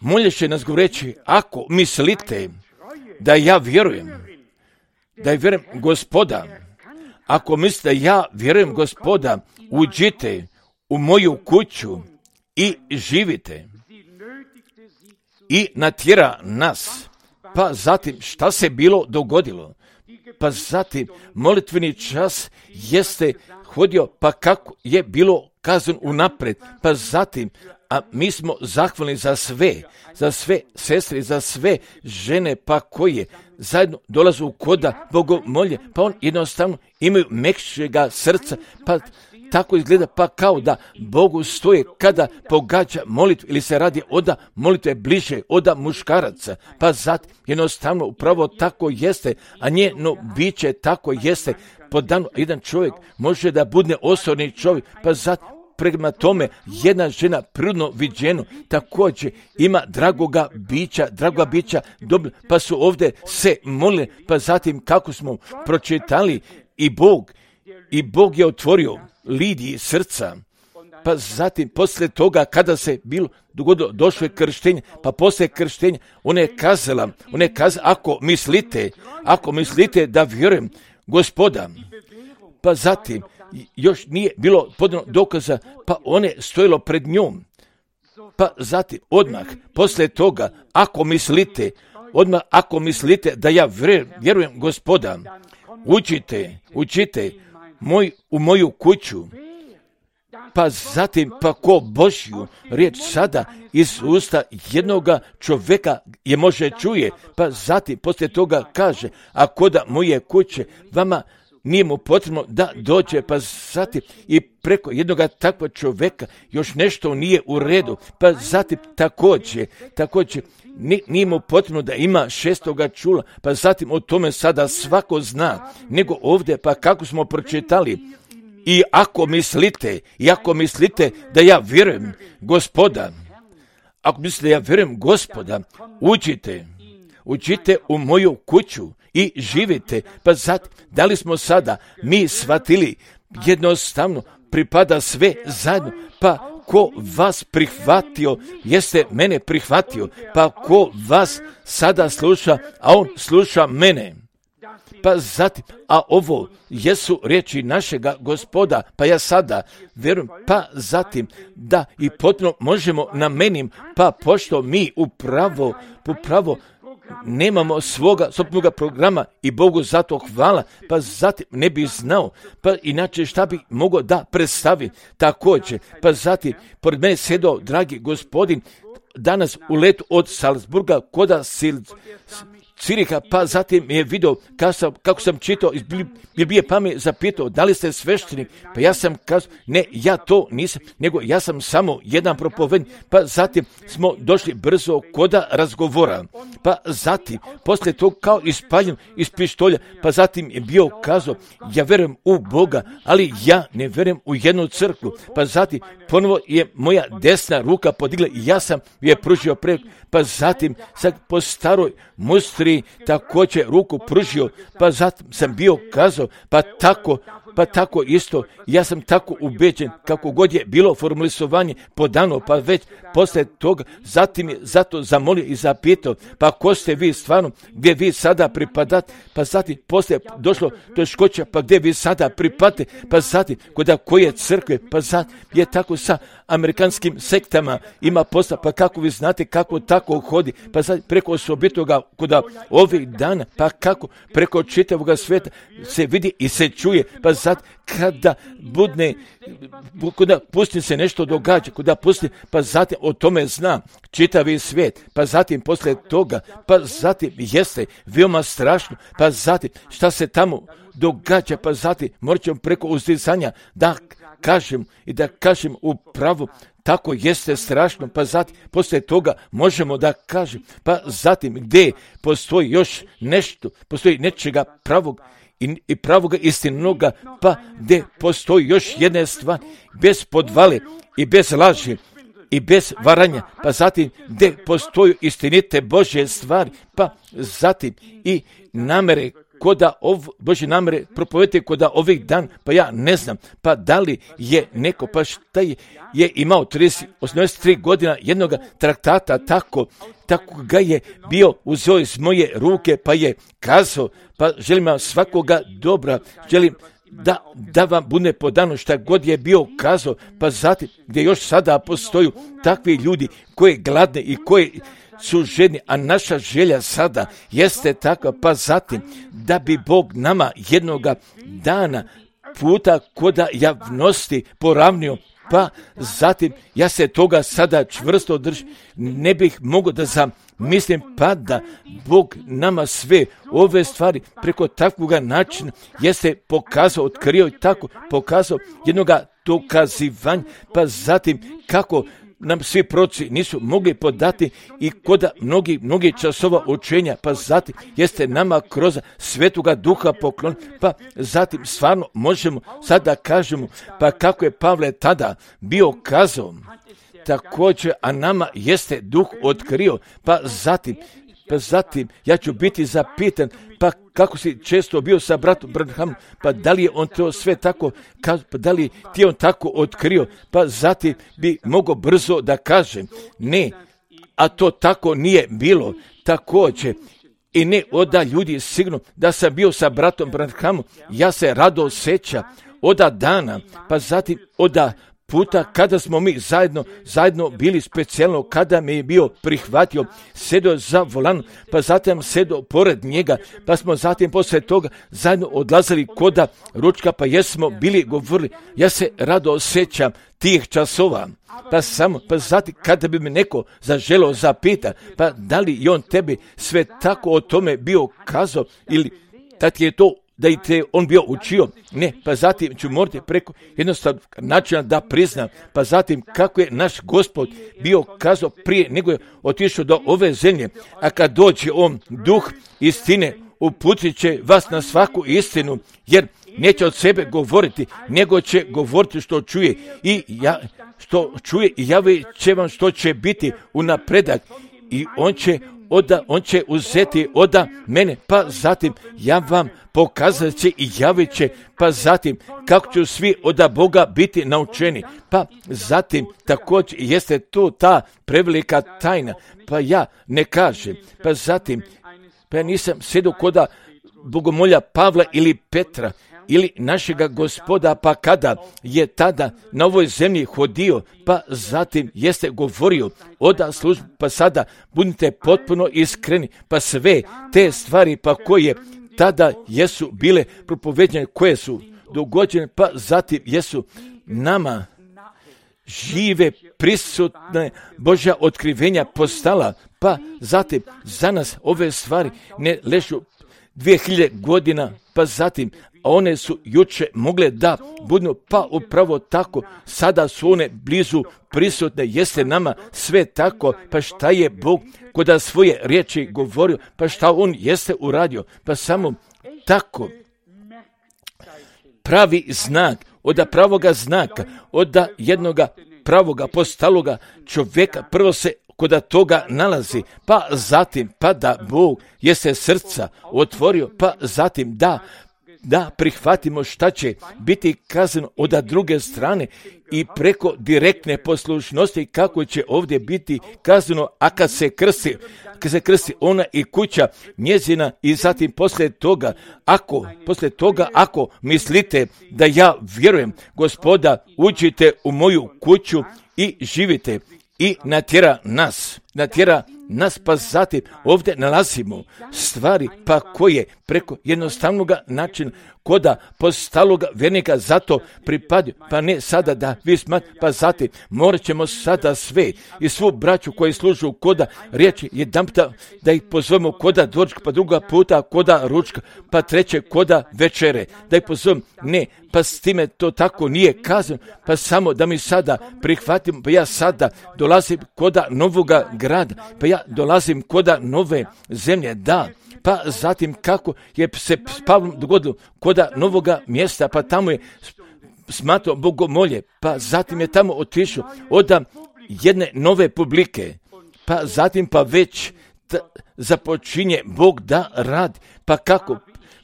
molješe nas govoreći, ako mislite da ja vjerujem, da je vjerujem Gospoda, ako mislite da ja vjerujem Gospoda, uđite u moju kuću i živite. I natjera nas. Pa zatim šta se bilo dogodilo? Pa zatim molitveni čas jeste hodio, pa kako je bilo kazano unaprijed. Pa zatim, a mi smo zahvalni za sve, za sve sestre, za sve žene, pa koje zajedno dolazu koda bogomolje, pa on jednostavno imaju mekšega srca, pa tako izgleda, pa kao da Bogu stoje kada pogađa molitvu ili se radi oda molitve bliže oda muškaraca, pa zatim jednostavno upravo tako jeste, a njeno biće tako jeste. Po danu jedan čovjek može da bude osobni čovjek, pa zatim prema tome jedna žena prirodno viđeno također ima dragoga bića, dragoga bića, dobro, pa su ovdje se molili, pa zatim kako smo pročitali i Bog, i Bog je otvorio Lidiji srca, pa zatim poslije toga kada se bilo dogodilo, došlo je krštenje, pa poslije krštenja ona je kazala, ona je kazala, ako mislite, ako mislite da vjerujem Gospoda, pa zatim još nije bilo podano dokaza, pa one stojilo pred njom, pa zatim odmah poslije toga, ako mislite, odmah ako mislite da ja vjerujem Gospoda, učite, učite moj, u moju kuću, pa zatim pa ko Božju riječ sada iz usta jednoga čovjeka je može čuje, pa zatim poslije toga kaže, a koda moje kuće vama nije mu potrebno da dođe, pa zatim i preko jednoga takvog čovjeka još nešto nije u redu, pa zatim također, također nije mu potrebno da ima šestoga čula, pa zatim o tome sada svako zna, nego ovdje, pa kako smo pročitali, i ako mislite, i ako mislite da ja vjerujem Gospoda, ako mislite da ja vjerujem Gospoda, uđite, uđite u moju kuću i živite, pa zatim, da li smo sada mi shvatili jednostavno pripada sve zajedno, pa ko vas prihvatio, jeste mene prihvatio, pa ko vas sada sluša, a on sluša mene. Pa zatim, a ovo jesu riječi našega Gospoda, pa ja sada vjerujem, pa zatim da i potpuno možemo namenim, pa pošto mi upravo, upravo nemamo svoga sobstvenog programa i Bogu zato hvala, pa zatim ne bi znao, pa inače šta bi mogao da predstavi također, pa zatim pored mene sedao dragi gospodin danas u letu od Salzburga koda Sil, Ciriha, pa zatim je vidio kako sam, kako sam čitao iz Biblije, pa me zapitao da li ste sveštenik, pa ja sam kazao ne, ja to nisam, nego ja sam samo jedan propovednik, pa zatim smo došli brzo koda razgovora, pa zatim poslije tog kao ispaljen iz pištolja, pa zatim je bio kazao ja vjerujem u Boga, ali ja ne vjerujem u jednu crkvu, pa zatim ponovo je moja desna ruka podigla i ja sam je pružio preko, pa zatim sad po staroj mustri također ruku pružio, pa zatim sam bio kazao, pa tako pa tako isto, ja sam tako ubeđen, kako god je bilo formulisovanje podano, pa već posle toga, zatim je zato zamolio i zapitao, pa ko ste vi stvarno, gdje vi sada pripadate, pa zatim posle došlo do škoća, pa gdje vi sada pripadate, pa zatim kod koje crkve, pa zatim je tako sa amerikanskim sektama ima posla, pa kako vi znate kako tako hodi, pa zatim preko osobitoga kod ovih dana, pa kako preko čitavoga sveta se vidi i se čuje, pa zatim kada budne, kada pustim se nešto događa, kada pustim, pa zatim o tome zna čitavi svijet, pa zatim posle toga, pa zatim jeste veoma strašno, pa zatim šta se tamo događa, pa zatim morat ćemo preko uzdizanja da kažem i da kažem upravo, tako jeste strašno, pa zatim poslije toga možemo da kažem, pa zatim gdje postoji još nešto, postoji nečega pravog i, i pravoga istinoga, pa gdje postoji još jedna stvar, bez podvale i bez laži i bez varanja, pa zatim gdje postoji istinite Božje stvari, pa zatim i namere koda ov, Božje namere propovedite koda ovih dan, pa ja ne znam, pa da li je neko, pa šta je, je imao trideset, osamdeset tri godina jednog traktata, tako, tako ga je bio uzeo iz moje ruke, pa je kazao, pa želim vam svakoga dobra, želim da, da vam bude podano šta god je bio kazao, pa zatim gdje još sada postoju takvi ljudi koji gladne i koji su žedni, a naša želja sada jeste takva, pa zatim da bi Bog nama jednoga dana puta koda javnosti poravnio, pa zatim ja se toga sada čvrsto držim, ne bih mogao da zamislim, pa da Bog nama sve ove stvari preko takvog načina jeste pokazao, otkrio i tako pokazao jednoga dokazivanja, pa zatim kako nam svi proroci nisu mogli podati i koda mnogi, mnogi časova učenja, pa zatim jeste nama kroz Svetoga Duha poklon, pa zatim stvarno možemo sada kažemo, pa kako je Pavle tada bio kazao, također, a nama jeste Duh otkrio, pa zatim, pa zatim ja ću biti zapitan, pa kako si često bio sa bratom Branhamom, pa da li je on to sve tako, pa da li ti on tako otkrio, pa zatim bi mogao brzo da kažem, ne, a to tako nije bilo, također, i ne oda ljudi sigurno da sam bio sa bratom Branhamom, ja se rado osjeća oda dana, pa zatim oda puta kada smo mi zajedno, zajedno bili specijalno, kada me je bio prihvatio, sedo za volan, pa zatim sedo pored njega, pa smo zatim poslije toga zajedno odlazili koda ručka, pa jesmo bili govorili, ja se rado osjećam tih časova, pa samo, pa zatim kada bi me neko zaželio zapita, pa da li i on tebi sve tako o tome bio kazao, ili da ti je to da i te on bio učio, ne, pa zatim ću morati preko jednostavnog načina da priznam, pa zatim kako je naš Gospod bio kazao prije nego je otišao do ove zemlje, a kad dođe on duh istine, uputit će vas na svaku istinu, jer neće od sebe govoriti, nego će govoriti što čuje i ja, što čuje i javit će vam što će biti u napredak i on će Oda, on će uzeti oda mene, pa zatim ja vam pokazat će i javit će, pa zatim kako će svi oda Boga biti naučeni, pa zatim također jeste to ta prevelika tajna, pa ja ne kažem, pa zatim, pa ja nisam sjedio koda bogomolja Pavla ili Petra, ili našega Gospoda, pa kada je tada na ovoj zemlji hodio, pa zatim jeste govorio oda službu, pa sada budite potpuno iskreni, pa sve te stvari pa koje tada jesu bile propovedene, koje su dogođene, pa zatim jesu nama žive, prisutne Božja otkrivenja postala, pa zatim za nas ove stvari ne ležu dvije hiljade godina, pa zatim a one su juče mogle da budu, pa upravo tako, sada su one blizu prisutne, jeste nama sve tako, pa šta je Bog koda svoje riječi govorio, pa šta on jeste uradio, pa samo tako. Pravi znak, od pravoga znaka, od jednoga pravoga postaloga čovjeka, prvo se koda toga nalazi, pa zatim, pa da Bog jeste srca otvorio, pa zatim da da prihvatimo šta će biti kazano od druge strane i preko direktne poslušnosti kako će ovdje biti kazano, a kad se krsti, kad se krsti ona i kuća njezina i zatim poslije toga, ako, poslije toga, ako mislite da ja vjerujem, Gospoda, uđite u moju kuću i živite i natjera nas, natjera nas, pa zatim ovdje nalazimo stvari pa koje preko jednostavnog načina koda postaloga vjernika zato pripadaju, pa ne sada da vi smatrate, pa zatim morat ćemo sada sve i svu braću koji služu koda riječi jedanputa da ih pozovemo koda doručka, pa druga puta koda ručka, pa treće koda večere, da ih pozovemo, ne, pa s time to tako nije kazano, pa samo da mi sada prihvatimo, pa ja sada dolazim koda novoga grada, pa ja dolazim koda nove zemlje, da, pa zatim kako je se s Pavlom dogodilo koda novoga mjesta, pa tamo je smatrao bogomolje, pa zatim je tamo otišao od jedne nove publike, pa zatim pa već t- započinje Bog da radi, pa kako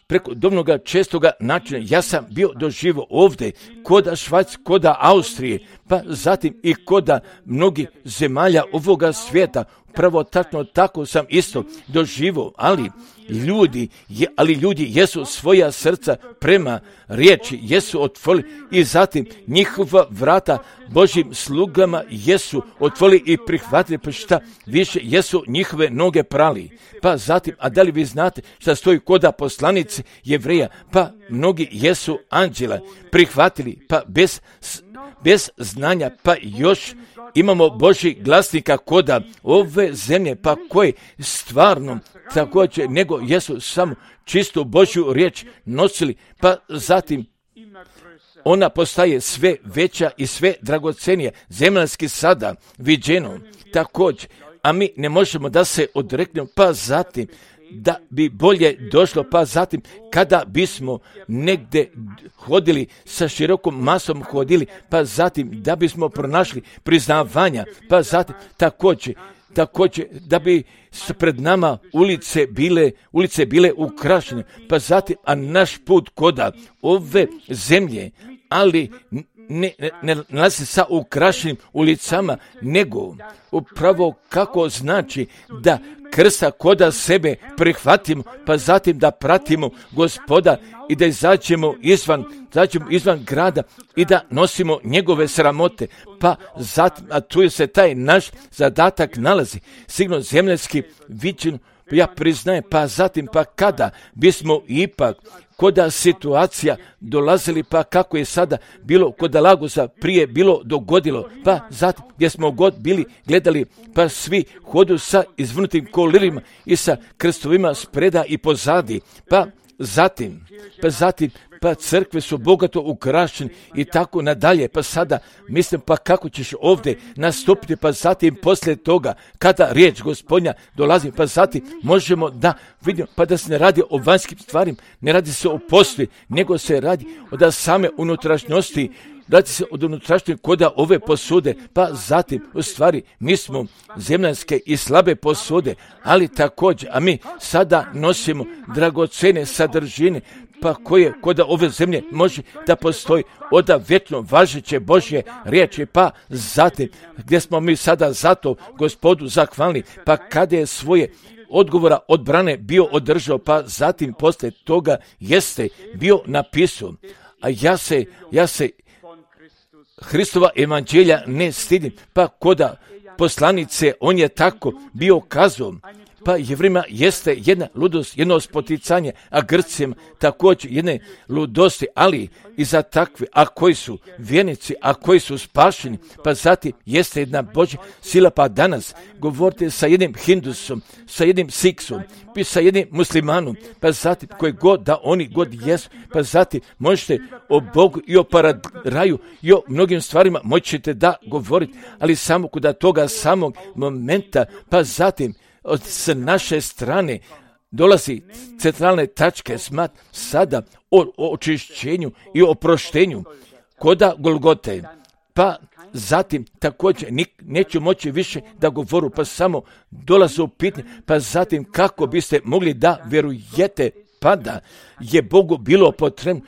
preko dobnoga čestoga načina ja sam bio doživio ovdje koda Švajc, koda Austrije, pa zatim i koda mnogih zemalja ovoga svijeta. Pravo tačno tako sam isto doživio, ali ljudi, je, ali ljudi jesu svoja srca prema riječi, jesu otvorili i zatim njihova vrata Božjim slugama jesu otvorili i prihvatili, pa šta više jesu njihove noge prali. Pa zatim, a da li vi znate šta stoji koda poslanice Jevreja, pa mnogi jesu anđela prihvatili, pa bez, bez znanja, pa još imamo Božji glasnika koda ove zemlje, pa koji stvarno također nego jesu samo čistu Božju riječ nosili, pa zatim ona postaje sve veća i sve dragocenija, zemaljski sada viđeno također, a mi ne možemo da se odreknemo, pa zatim da bi bolje došlo, pa zatim kada bismo negdje hodili sa širokom masom hodili, pa zatim da bismo pronašli priznavanja, pa zatim također, također da bi pred nama ulice bile, ulice bile ukrašene, pa zatim, a naš put koda ove zemlje, ali ne, ne, ne nalazi sa ukrašenim ulicama, nego upravo kako znači da krsta koda sebe prihvatimo, pa zatim da pratimo Gospoda i da izađemo izvan, izađemo izvan grada i da nosimo njegove sramote, pa zatim, a tu se taj naš zadatak nalazi, sigurno zemljski viđen, ja priznajem, pa zatim, pa kada bismo ipak koda situacija dolazili, pa kako je sada bilo koda Lagosa prije bilo dogodilo, pa zatim gdje smo god bili gledali, pa svi hodu sa izvrnutim kolirima i sa krstovima spreda i pozadi, pa zatim, pa zatim, pa crkve su bogato ukrašene i tako nadalje, pa sada mislim pa kako ćeš ovdje nastupiti, pa zatim poslije toga kada riječ Gospodnja dolazi, pa zatim možemo da vidimo, pa da se ne radi o vanjskim stvarima, ne radi se o posli, nego se radi od same unutrašnjosti, radi se od unutrašnje koda ove posude, pa zatim u stvari mi smo zemljanske i slabe posude, ali također, a mi sada nosimo dragocene sadržine, pa koje koda ove zemlje može da postoji od vječno važeće Božje riječi, pa zatim gdje smo mi sada zato Gospodu zahvalni, pa kada je svoje odgovora odbrane bio održao, pa zatim poslije toga jeste bio napisao, a ja se, ja se Hristova evanđelja ne stidim, pa koda poslanice on je tako bio kazao, pa Jevrima jeste jedna ludost, jedno spoticanje, a Grcima također jedne ludosti, ali i za takve, a koji su vjernici, a koji su spašeni, pa zatim jeste jedna Božja sila, pa danas govorite sa jednim Hindusom, sa jednim Siksom, pa sa jednim muslimanom, pa zatim koji god da oni god jesu, pa zatim možete o Bogu i o paradaju i o mnogim stvarima moćete da govorite, ali samo kod toga samog momenta, pa zatim od s naše strane dolazi centralne tačke smat sada o, o očišćenju i oproštenju koda Golgote, pa zatim također neću moći više da govoru, pa samo dolaze u pitanje, pa zatim kako biste mogli da vjerujete pada je Bogu bilo potrebno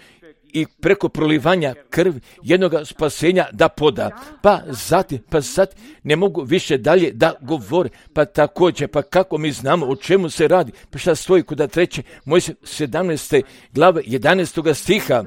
i preko prolivanja krvi jednoga spasenja da poda. Pa zatim, pa zatim ne mogu više dalje da govore. Pa također, pa kako mi znamo o čemu se radi? Pa šta stoji kod treće Mojsije sedamnaeste glave jedanaestog stiha?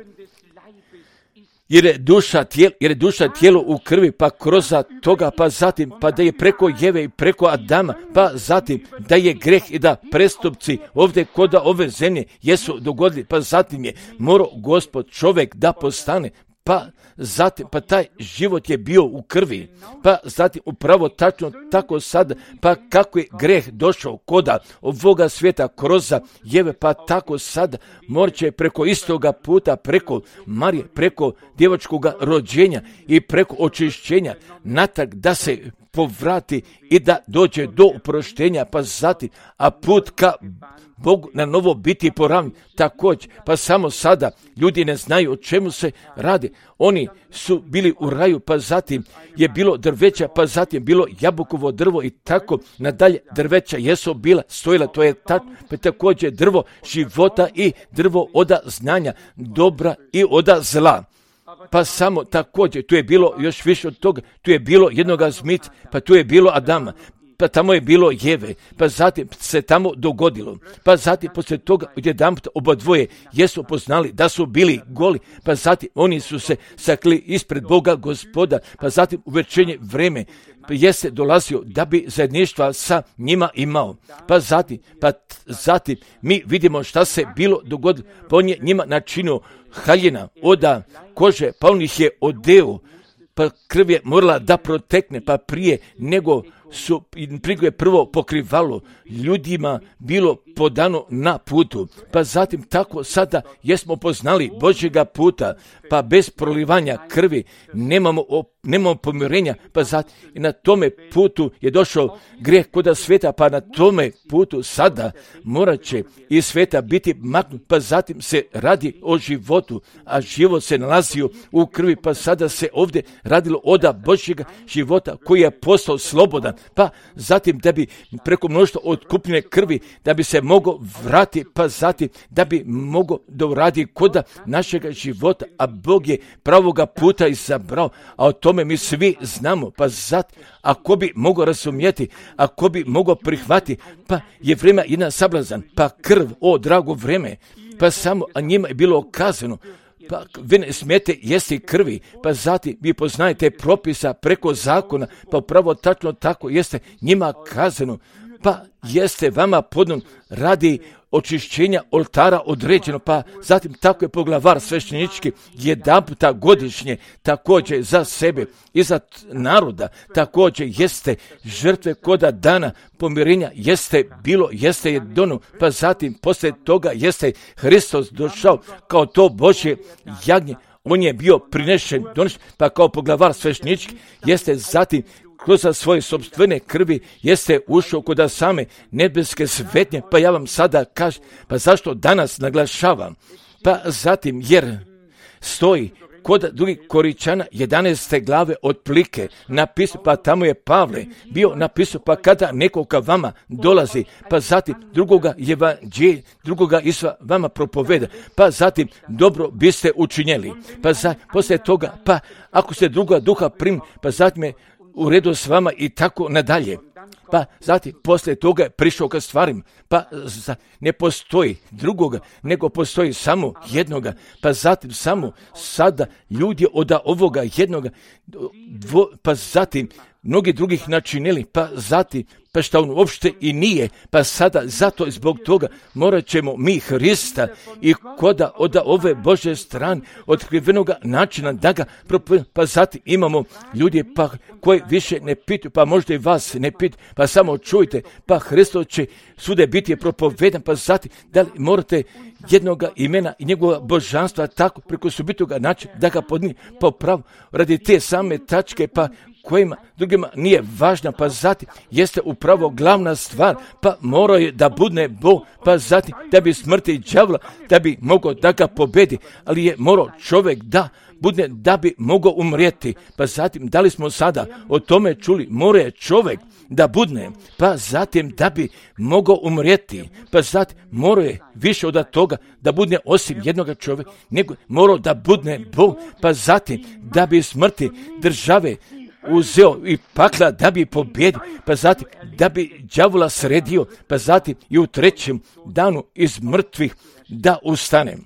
Jer je duša tijelo, jer je duša tijelo u krvi, pa kroz toga, pa zatim, pa da je preko Jeve i preko Adama, pa zatim da je greh i da prestupci ovdje kod ove zemlje jesu dogodili, pa zatim je morao Gospod čovjek da postane, pa zatim, pa taj život je bio u krvi, pa zatim upravo tačno tako sad, pa kako je greh došao koda ovoga svijeta kroz Jeve, pa tako sad morće preko istoga puta, preko Marije, preko djevočkoga rođenja i preko očišćenja natak da se povrati i da dođe do oproštenja, pa zatim, a put ka Bogu na novo biti poravnjen također, pa samo sada ljudi ne znaju o čemu se radi. Oni su bili u raju, pa zatim je bilo drveća, pa zatim bilo jabukovo drvo i tako nadalje. Drveća jesu bila, stojila, to je ta, pa također drvo života i drvo oda znanja, dobra i oda zla. Pa samo također, tu je bilo još više od toga, tu je bilo jednoga zmita, pa tu je bilo Adama, pa tamo je bilo Jeve, pa zatim se tamo dogodilo, pa zatim poslije toga odjedanput oba dvoje jesu poznali da su bili goli, pa zatim oni su se sakli ispred Boga Gospoda, pa zatim u večernje vreme jeste dolazio da bi zajedništva sa njima imao. Pa zatim, pa zatim mi vidimo šta se bilo dogodilo, pa on je njima načinio haljina oda kože, pa on ih je odeo, pa krv je morala da protekne, pa prije nego su prije prvo pokrivalo ljudima bilo podano na putu, pa zatim tako sada jesmo poznali Božjega puta, pa bez prolivanja krvi nemamo, nemamo pomirenja, pa zatim i na tome putu je došao grijeh koda sveta, pa na tome putu sada morat će i sveta biti maknut, pa zatim se radi o životu, a život se nalazio u krvi, pa sada se ovdje radilo oda Božjega života koji je postao slobodan, pa zatim da bi preko mnoštva otkupljene krvi, da bi se mogao vrati, pa zatim da bi mogao da uradi koda našega života, a Bog je pravoga puta izabrao, a o tome mi svi znamo, pa zatim ako bi mogao razumjeti, ako bi mogao prihvati, pa je vreme jedan sablazan, pa krv, o drago vreme, pa samo, a njima je bilo okazano, pa vi ne smijete jesti krvi, pa zatim vi poznajete propisa preko zakona, pa upravo tačno tako jeste njima kazano, pa jeste vama podnom radi očišćenja oltara određeno, pa zatim tako je poglavar sveštenički jedan puta godišnje također za sebe i za naroda također jeste žrtve koda dana pomirenja jeste bilo, jeste je dono, pa zatim poslije toga jeste Hristos došao kao to Božje jagnje, on je bio prinešen, donešen, pa kao poglavar sveštenički jeste zatim kroz svoje sopstvene krvi jeste ušao kod same nebeske svetnje, pa ja vam sada kažem, pa zašto danas naglašavam? Pa zatim jer stoji kod drugih Koričana jedanaeste glave otplike napisao, pa tamo je Pavle bio napisao, pa kada neko ka vama dolazi, pa zatim drugoga evanđelja, drugoga Isusa vama propoveda, pa zatim dobro biste učinjeli, pa za, poslije toga, pa ako se druga duha primi, pa zatim je u redu s vama i tako nadalje. Pa zatim poslije toga je prišao ka stvarima, pa za, ne postoji drugoga, nego postoji samo jednoga, pa zatim samo sada ljudi od ovoga jednoga, dvo, pa zatim mnogi drugih načinili, pa zatim, pa šta on uopšte i nije, pa sada zato i zbog toga morat ćemo mi Hrista i koda od ove Božje strane otkrivenoga načina da ga propovjedamo, pa zatim imamo ljudi pa koji više ne pitaju, pa možda i vas ne pitaju, pa samo čujte, pa Hristos će svude biti propovedan, pa zatim da li morate jednoga imena i njegova božanstva tako preko subitoga načina da ga podnije po pravu radi te same tačke, pa kojima drugima nije važna, pa zatim jeste upravo glavna stvar, pa mora je da budne Bog, pa zatim da bi smrti đavla, da bi mogao da ga pobedi, ali je morao čovjek da budne da bi mogao umrijeti, pa zatim da li smo sada o tome čuli, mora je čovjek da budne, pa zatim da bi mogao umrijeti, pa zatim morao je više od toga da budne osim jednoga čovjeka, nego morao da budne Bog, pa zatim da bi smrti države uzeo i pakla da bi pobjedio, pa zatim da bi đavola sredio, pa zatim i u trećem danu iz mrtvih da ustane.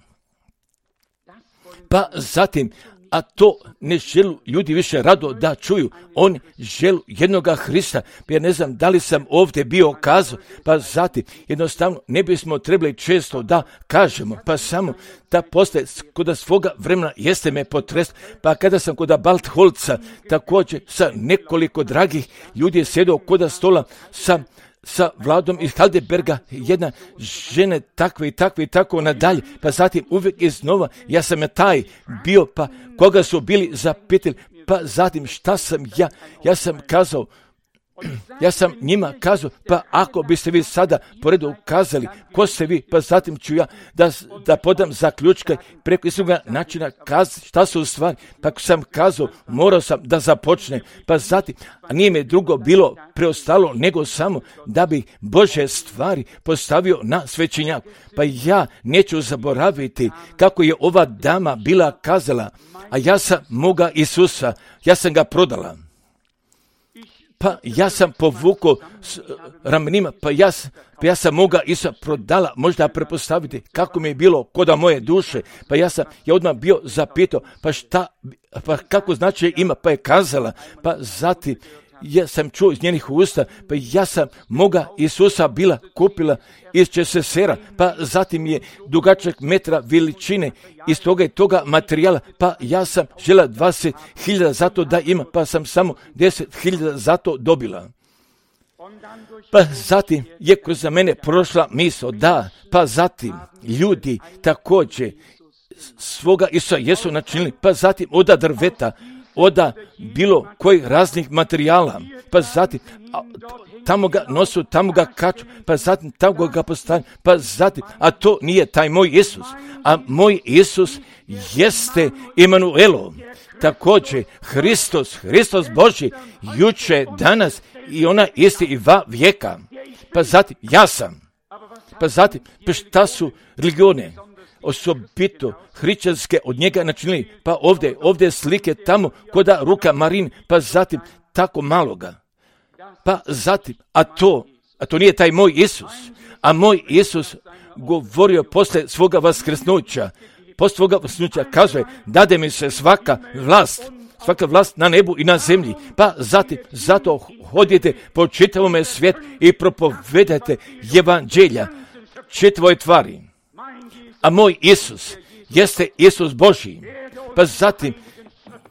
Pa zatim, a to ne želu ljudi više rado da čuju, oni želu jednoga Hrista, pa ja ne znam da li sam ovdje bio kazao, pa zatim jednostavno ne bismo trebali često da kažemo, pa samo da postaje kod svoga vremena jeste me potreslo, pa kada sam kod Baltholca također sa nekoliko dragih ljudi je sjedio kod stola sa sa Vladom iz Heidelberga, jedna žene takve i takve i tako nadalje, pa zatim uvijek iznova, ja sam je taj bio, pa koga su bili zapitali, pa zatim šta sam ja, ja sam kazao, ja sam njima kazao, pa ako biste vi sada poredu ukazali ko ste vi, pa zatim ću ja da, da podam zaključka preko istog načina kaz, šta su u stvari, pa ako sam kazao, morao sam da započne, pa zatim, a nije mi drugo bilo preostalo nego samo da bi Bože stvari postavio na svećenjak. Pa ja neću zaboraviti kako je ova dama bila kazala, a ja sam moga Isusa, ja sam ga prodala. Pa ja sam povukao s ramenima, pa ja, pa ja sam moga Isusa prodala, možda prepostaviti kako mi je bilo koda moje duše, pa ja sam ja odmah bio zapitao, pa šta, pa kako znači ima, pa je kazala, pa zatim ja sam čuo iz njenih usta, pa ja sam moga Isusa bila kupila iz Česesera, pa zatim je dugačak metra veličine iz toga i toga materijala, pa ja sam žela dvadeset hiljada za to da ima, pa sam samo deset hiljada za to dobila. Pa zatim je kroz mene prošla misao, da, pa zatim ljudi također svoga Isusa jesu načinili, pa zatim oda drveta, oda bilo kojih raznih materijala, pa zatim a, tamo ga nosu, tamo ga kaču, pa zatim tamo ga postavljaju, pa zatim, a to nije taj moj Isus, a moj Isus jeste Emanuelo, također Hristos, Hristos Boži, juče, danas i ona isti i va vijeka, pa zatim ja sam, pa zatim, pa šta su religione? Osobito hrišćanske od njega načinili, pa ovdje, ovdje slike tamo koda ruka Marin, pa zatim tako maloga. Pa zatim, a to, a to nije taj moj Isus, a moj Isus govorio posle svoga vaskrsnuća, posle svoga vaskrsnuća kazuje, dade mi se svaka vlast, svaka vlast na nebu i na zemlji, pa zatim, zato hodite po čitavome svijetu i propovedajte evanđelja čitavoj tvari. A moj Isus jeste Isus Božji. Pa zatim,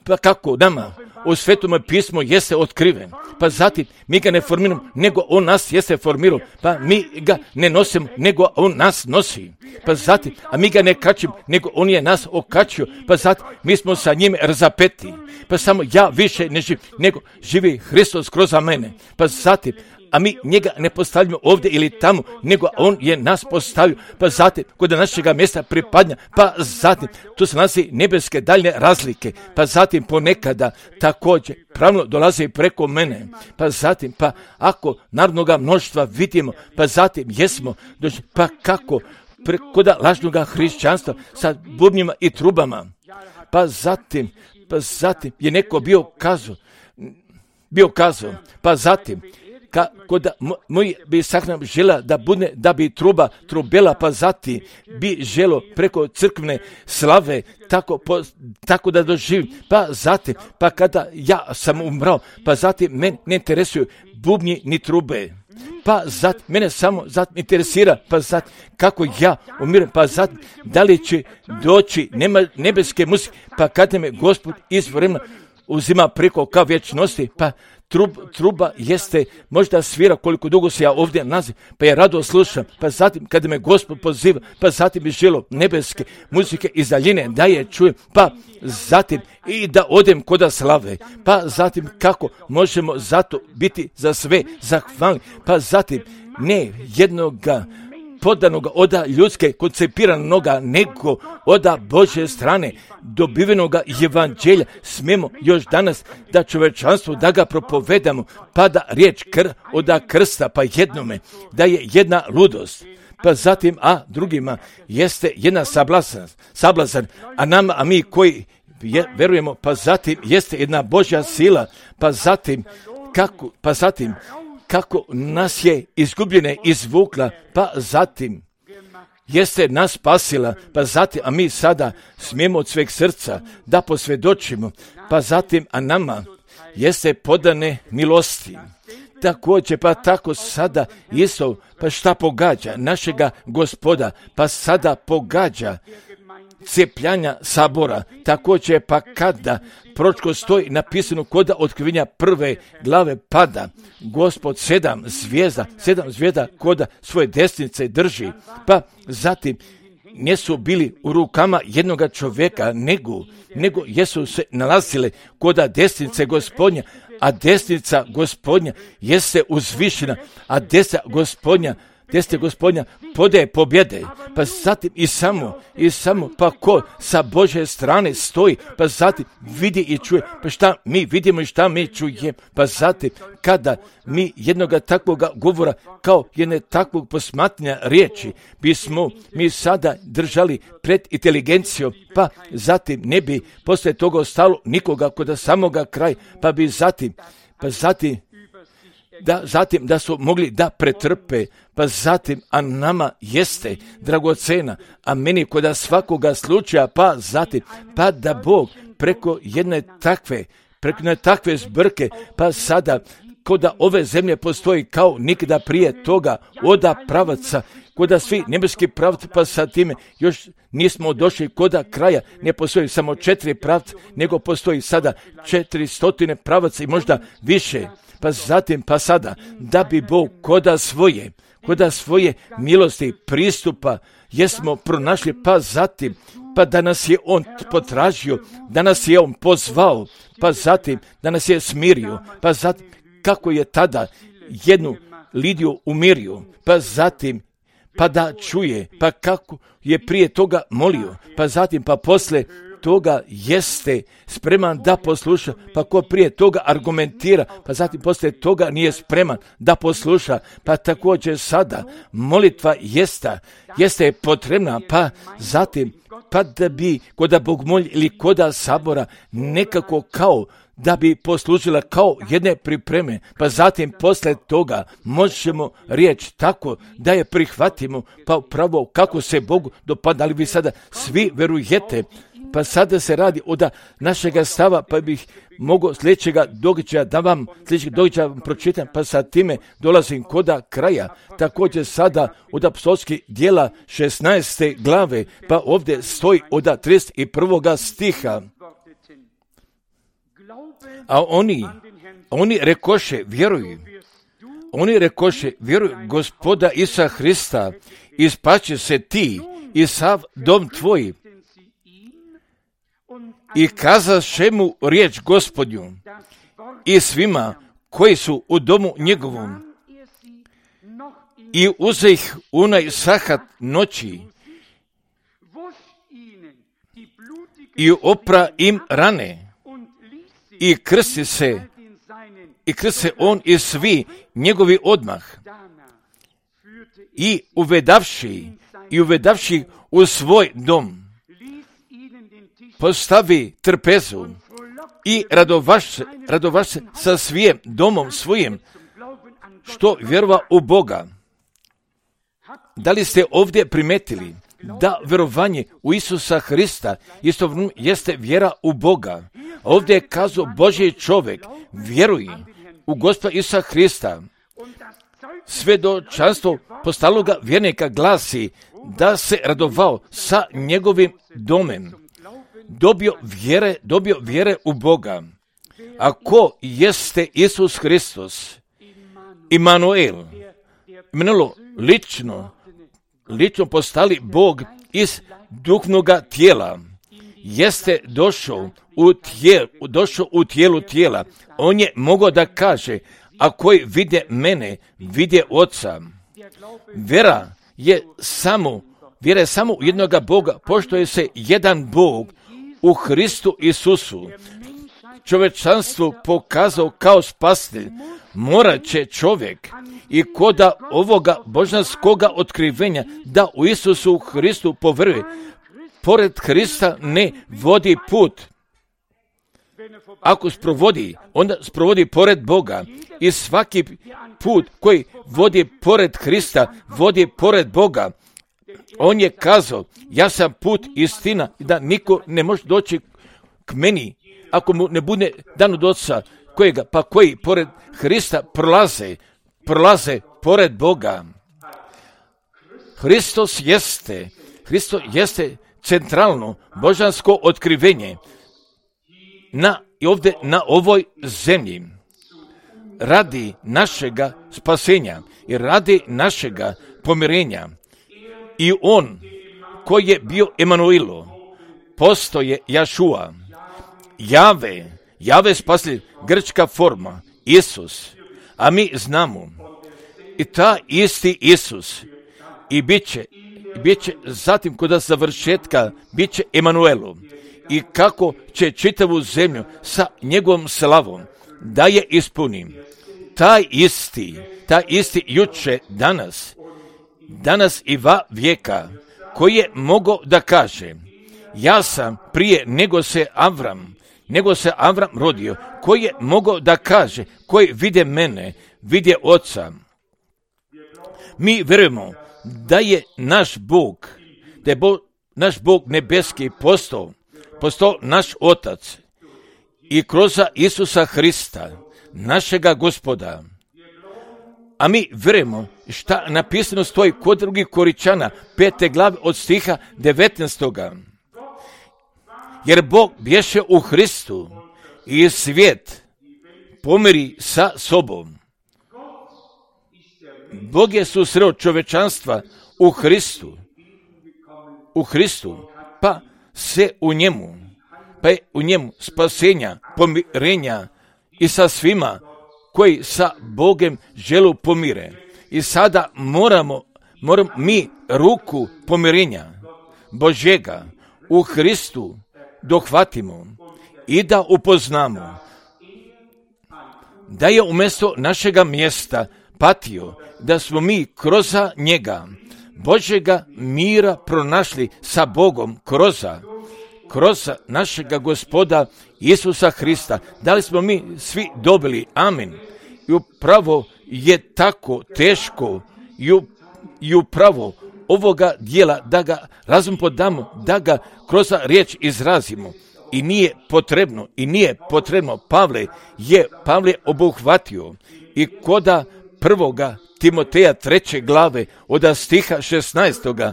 pa kako nama u Svetome pismu jeste otkriven. Pa zatim mi ga ne formiramo, nego on nas jeste formirao. Pa mi ga ne nosimo, nego on nas nosi. Pa zatim, a mi ga ne kačimo, nego on je nas okačio. Pa zatim, mi smo sa njim razapeti. Pa samo ja više ne živim, nego živi Hristos kroz mene. Pa zatim, a mi njega ne postavljamo ovdje ili tamo, nego on je nas postavio, pa zatim kod našega mjesta pripadnja, pa zatim tu se nalazi nebeske daljne razlike, pa zatim ponekada također pravno dolazi preko mene, pa zatim, pa ako narodnoga mnoštva vidimo, pa zatim jesmo, dođi, pa kako preko lažnoga hrišćanstva sa bubnjima i trubama, pa zatim, pa zatim je neko bio kazao, bio kazao, pa zatim, kako da moj bi sahnam žela da bude, da bi truba trubela, pa zatim bi želo preko crkvene slave tako, po, tako da doživim, pa zatim, pa kada ja sam umrao, pa zatim mene ne interesuju bubnji ni trube, pa zatim mene samo zatim interesira, pa zatim kako ja umirem, pa zatim da li će doći nema, nebeske muzike, pa kada me Gospod iz vremena uzima preko ka vječnosti, pa Trub, truba jeste, možda svira koliko dugo se ja ovdje nalazim, pa ja rado slušam, pa zatim kada me Gospod poziva, pa zatim bi želo nebeske muzike iz daljine da je čujem, pa zatim i da odem koda slave, pa zatim kako možemo zato biti za sve zahvalni, pa zatim ne jednoga podanoga oda ljudske koncepiranoga, nego oda Božje strane dobivenoga evanđelja smemo još danas da čovečanstvo da ga propovedamo, pa da riječ kr, oda krsta pa jednome da je jedna ludost, pa zatim a drugima jeste jedna sablazan, sablazan a nama, a mi koji je, verujemo, pa zatim jeste jedna Božja sila, pa zatim kako, pa zatim kako nas je izgubljene izvukla, pa zatim jeste nas spasila, pa zatim, a mi sada smijemo od sveg srca da posvjedočimo, pa zatim, a nama jeste podane milosti. Također, pa tako sada isto, pa šta pogađa našega Gospoda, pa sada pogađa cijepljanja sabora. Također, pa kada proročko stoji napisano koda otkrivenja prve glave pada, Gospod sedam zvijezda, sedam zvijezda koda svoje desnice drži, pa zatim nisu bili u rukama jednoga čovjeka, nego, nego jesu se nalazile koda desnice Gospodnja, a desnica Gospodnja jeste uzvišena, a desnica Gospodnja Desne Gospodnja podaje pobjede, pa zatim i samo, i samo, pa ko sa Božje strane stoji, pa zatim vidi i čuje, pa šta mi vidimo i šta mi čujemo, pa zatim kada mi jednoga takvoga govora, kao jedne takvog posmatranja riječi, bismo mi sada držali pred inteligencijom, pa zatim ne bi poslije toga ostalo nikoga kod samoga kraja, pa bi zatim, pa zatim, da zatim da su mogli da pretrpe, pa zatim, a nama jeste dragocena, a meni kod svakoga slučaja, pa zatim, pa da Bog preko jedne takve, preko jedne takve zbrke, pa sada kod ove zemlje postoji kao nikada prije toga oda pravaca, kod svi nebeski pravci, pa sa time još nismo došli kod kraja, ne postoji samo četiri pravca, nego postoji sada četiri stotine pravaca i možda više. Pa zatim, pa sada, da bi Bog koda svoje, koda svoje milosti pristupa, jesmo pronašli, pa zatim, pa da nas je On potražio, da nas je On pozvao, pa zatim, da nas je smirio, pa zatim, kako je tada jednu Lidiju umirio, pa zatim, pa da čuje, pa kako je prije toga molio, pa zatim, pa posle toga jeste spreman da posluša, pa ko prije toga argumentira, pa zatim poslije toga nije spreman da posluša, pa također sada molitva jeste, jeste potrebna, pa zatim, pa da bi koda bogomolje ili koda sabora nekako kao da bi poslužila kao jedne pripreme, pa zatim posle toga možemo riječ tako da je prihvatimo, pa upravo kako se Bogu dopada, ali vi sada svi verujete, pa sada se radi od našega stava, pa bih mogao sljedećega događaja da vam sljedećeg događaja vam pročitam, pa sa time dolazim koda kraja. Također sada od apostolskih djela šesnaeste glave, pa ovdje stoji od trideset prvoga stiha. A oni, oni rekoše, vjeruj, oni rekoše, vjeruj Gospoda Isusa Hrista, i spaće se ti i sav dom tvoj. I kazaše mu riječ Gospodnju i svima koji su u domu njegovom. I uze ih unaj sahat noći i opra im rane i krsti se i krsti se on i svi njegovi odmah i uvedavši i uvedavši u svoj dom postavi trpezu i radovaš se, radovaš se sa svijem domom svojim, što vjerova u Boga. Da li ste ovdje primetili da vjerovanje u Isusa Hrista isto jeste vjera u Boga? Ovdje je kazao Božji čovjek, vjeruj u Gospoda Isusa Hrista. Svjedočanstvo postaloga vjernika glasi da se radovao sa njegovim domem. Dobio vjere, dobio vjere u Boga. A ko jeste Isus Hristos? Imanuel. Imanuel lično, lično postali Bog iz duhovnoga tijela. Jeste došao u, tijel, došao u tijelu tijela. On je mogao da kaže, a koji vide mene, vide Oca. Vjera je samo, vjera je samo u jednoga Boga, pošto je se jedan Bog u Hristu Isusu čovječanstvu pokazao kao spasitelj, morat će čovjek i koda ovoga božanskoga otkrivenja da u Isusu Hristu poveruje. Pored Hrista ne vodi put. Ako sprovodi, onda sprovodi pored Boga. I svaki put koji vodi pored Hrista, vodi pored Boga. On je kazao, ja sam put istina, da niko ne može doći k meni ako mu ne bude dan od Oca, kojega, pa koji pored Hrista prolaze, prolaze pored Boga. Hristos jeste, Hristos jeste centralno božansko otkrivenje na, i ovdje na ovoj zemlji. Radi našega spasenja i radi našega pomirenja. I on koji je bio Emanuilo, postoje Jašua, Jave, Jave spasitelj, grčka forma, Isus, a mi znamo i ta isti Isus i bit će, bit će zatim kod završetka, bit će Emanuelu i kako će čitavu zemlju sa njegovom slavom da je ispunim. Taj isti, taj isti juče, danas, danas i va vijeka, koji je mogao da kaže, ja sam prije nego se Avram, nego se Avram rodio, koji je mogao da kaže, koji vide mene, vide Oca. Mi vjerujemo da je naš Bog, da je Bog, naš Bog nebeski postao, postao naš Otac i kroz Isusa Hrista, našega Gospoda. A mi vjerujemo šta napisano stoji kod drugih Koričana, pete glave od stiha devetnaestoga. Jer Bog bješe u Hristu i svijet pomiri sa sobom. Bog je susreo čovečanstva u Hristu, u Hristu, pa se u njemu, pa je u njemu spasenja, pomirenja i sa svima koji sa Bogem želu pomire. I sada moramo, moramo mi ruku pomirenja Božjega u Hristu dohvatimo i da upoznamo da je umjesto našega mjesta patio, da smo mi kroz njega Božjega mira pronašli sa Bogom kroz, kroz našega Gospoda Isusa Hrista. Da li smo mi svi dobili? Amin. I upravo je tako teško i, u, i upravo ovoga dijela da ga razum podamo, da ga kroz riječ izrazimo. I nije potrebno, i nije potrebno, Pavle je, Pavle obuhvatio i koda prvoga Timoteja treće glave od stiha šesnaestoga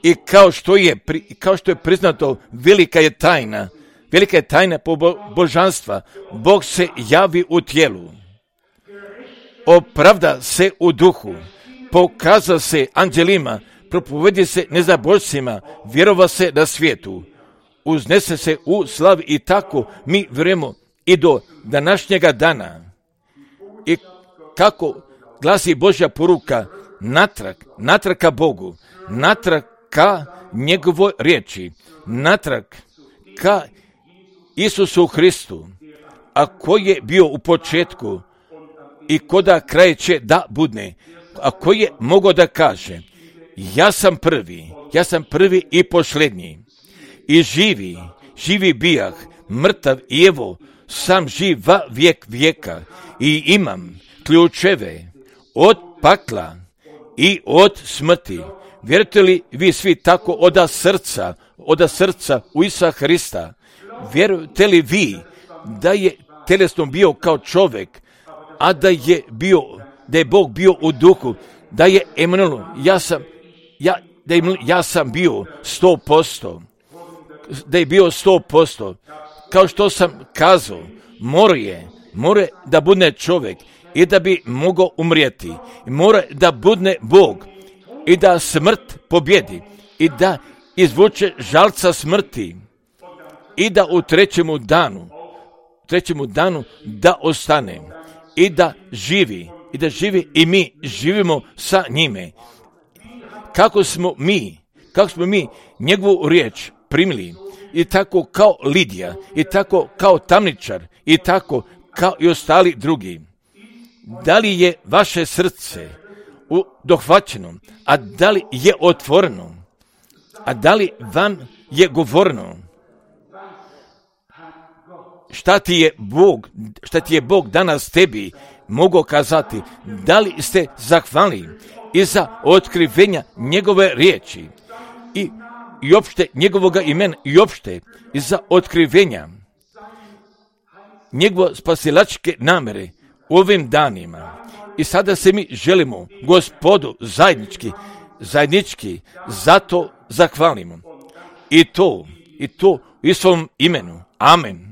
i kao što je, kao što je priznato, velika je tajna, velika je tajna po božanstva, Bog se javi u tijelu, opravda se u duhu, pokaza se anđelima, propovedi se nezabožcima, vjerova se na svijetu, uznese se u slavi i tako mi vjerujemo i do današnjega dana. I kako glasi Božja poruka, natrag, natrag ka Bogu, natrag ka njegovoj riječi, natrag ka Isusu Hristu, a koji je bio u početku i koda kraj će da budne, a koji je mogao da kaže, ja sam prvi, ja sam prvi i posljednji, i živi, živi bijah, mrtav i evo, sam živ va vijek vijeka i imam ključeve od pakla i od smrti. Vjerujete li vi svi tako oda srca, oda srca u Isusa Hrista? Vjerujete li vi da je telesno bio kao čovjek, a da je bio, da je Bog bio u duhu, da je Emanuel, ja sam, ja, da je, ja sam bio sto posto, da je bio sto posto, kao što sam kazao, mora je, mora da bude čovjek i da bi mogao umrijeti, mora da bude Bog i da smrt pobjedi i da izvuče žalca smrti i da u trećemu danu, trećemu danu da ostane i da živi, i da živi i mi živimo sa njime. kako smo mi, kako smo mi njegovu riječ primili, i tako kao Lidija, i tako kao tamničar, i tako kao i ostali drugi. Da li je vaše srce dohvaćeno, a da li je otvoreno, a da li vam je govoreno? Šta ti je Bog, šta ti je Bog danas tebi mogao kazati? Da li ste zahvalni i za otkrivenja njegove riječi i, i opšte njegovoga imena i opšte i za otkrivenja njegove spasilačke namere u ovim danima? I sada se mi želimo Gospodu zajednički, zajednički zato zahvalimo. I to, i to u svom imenu. Amen.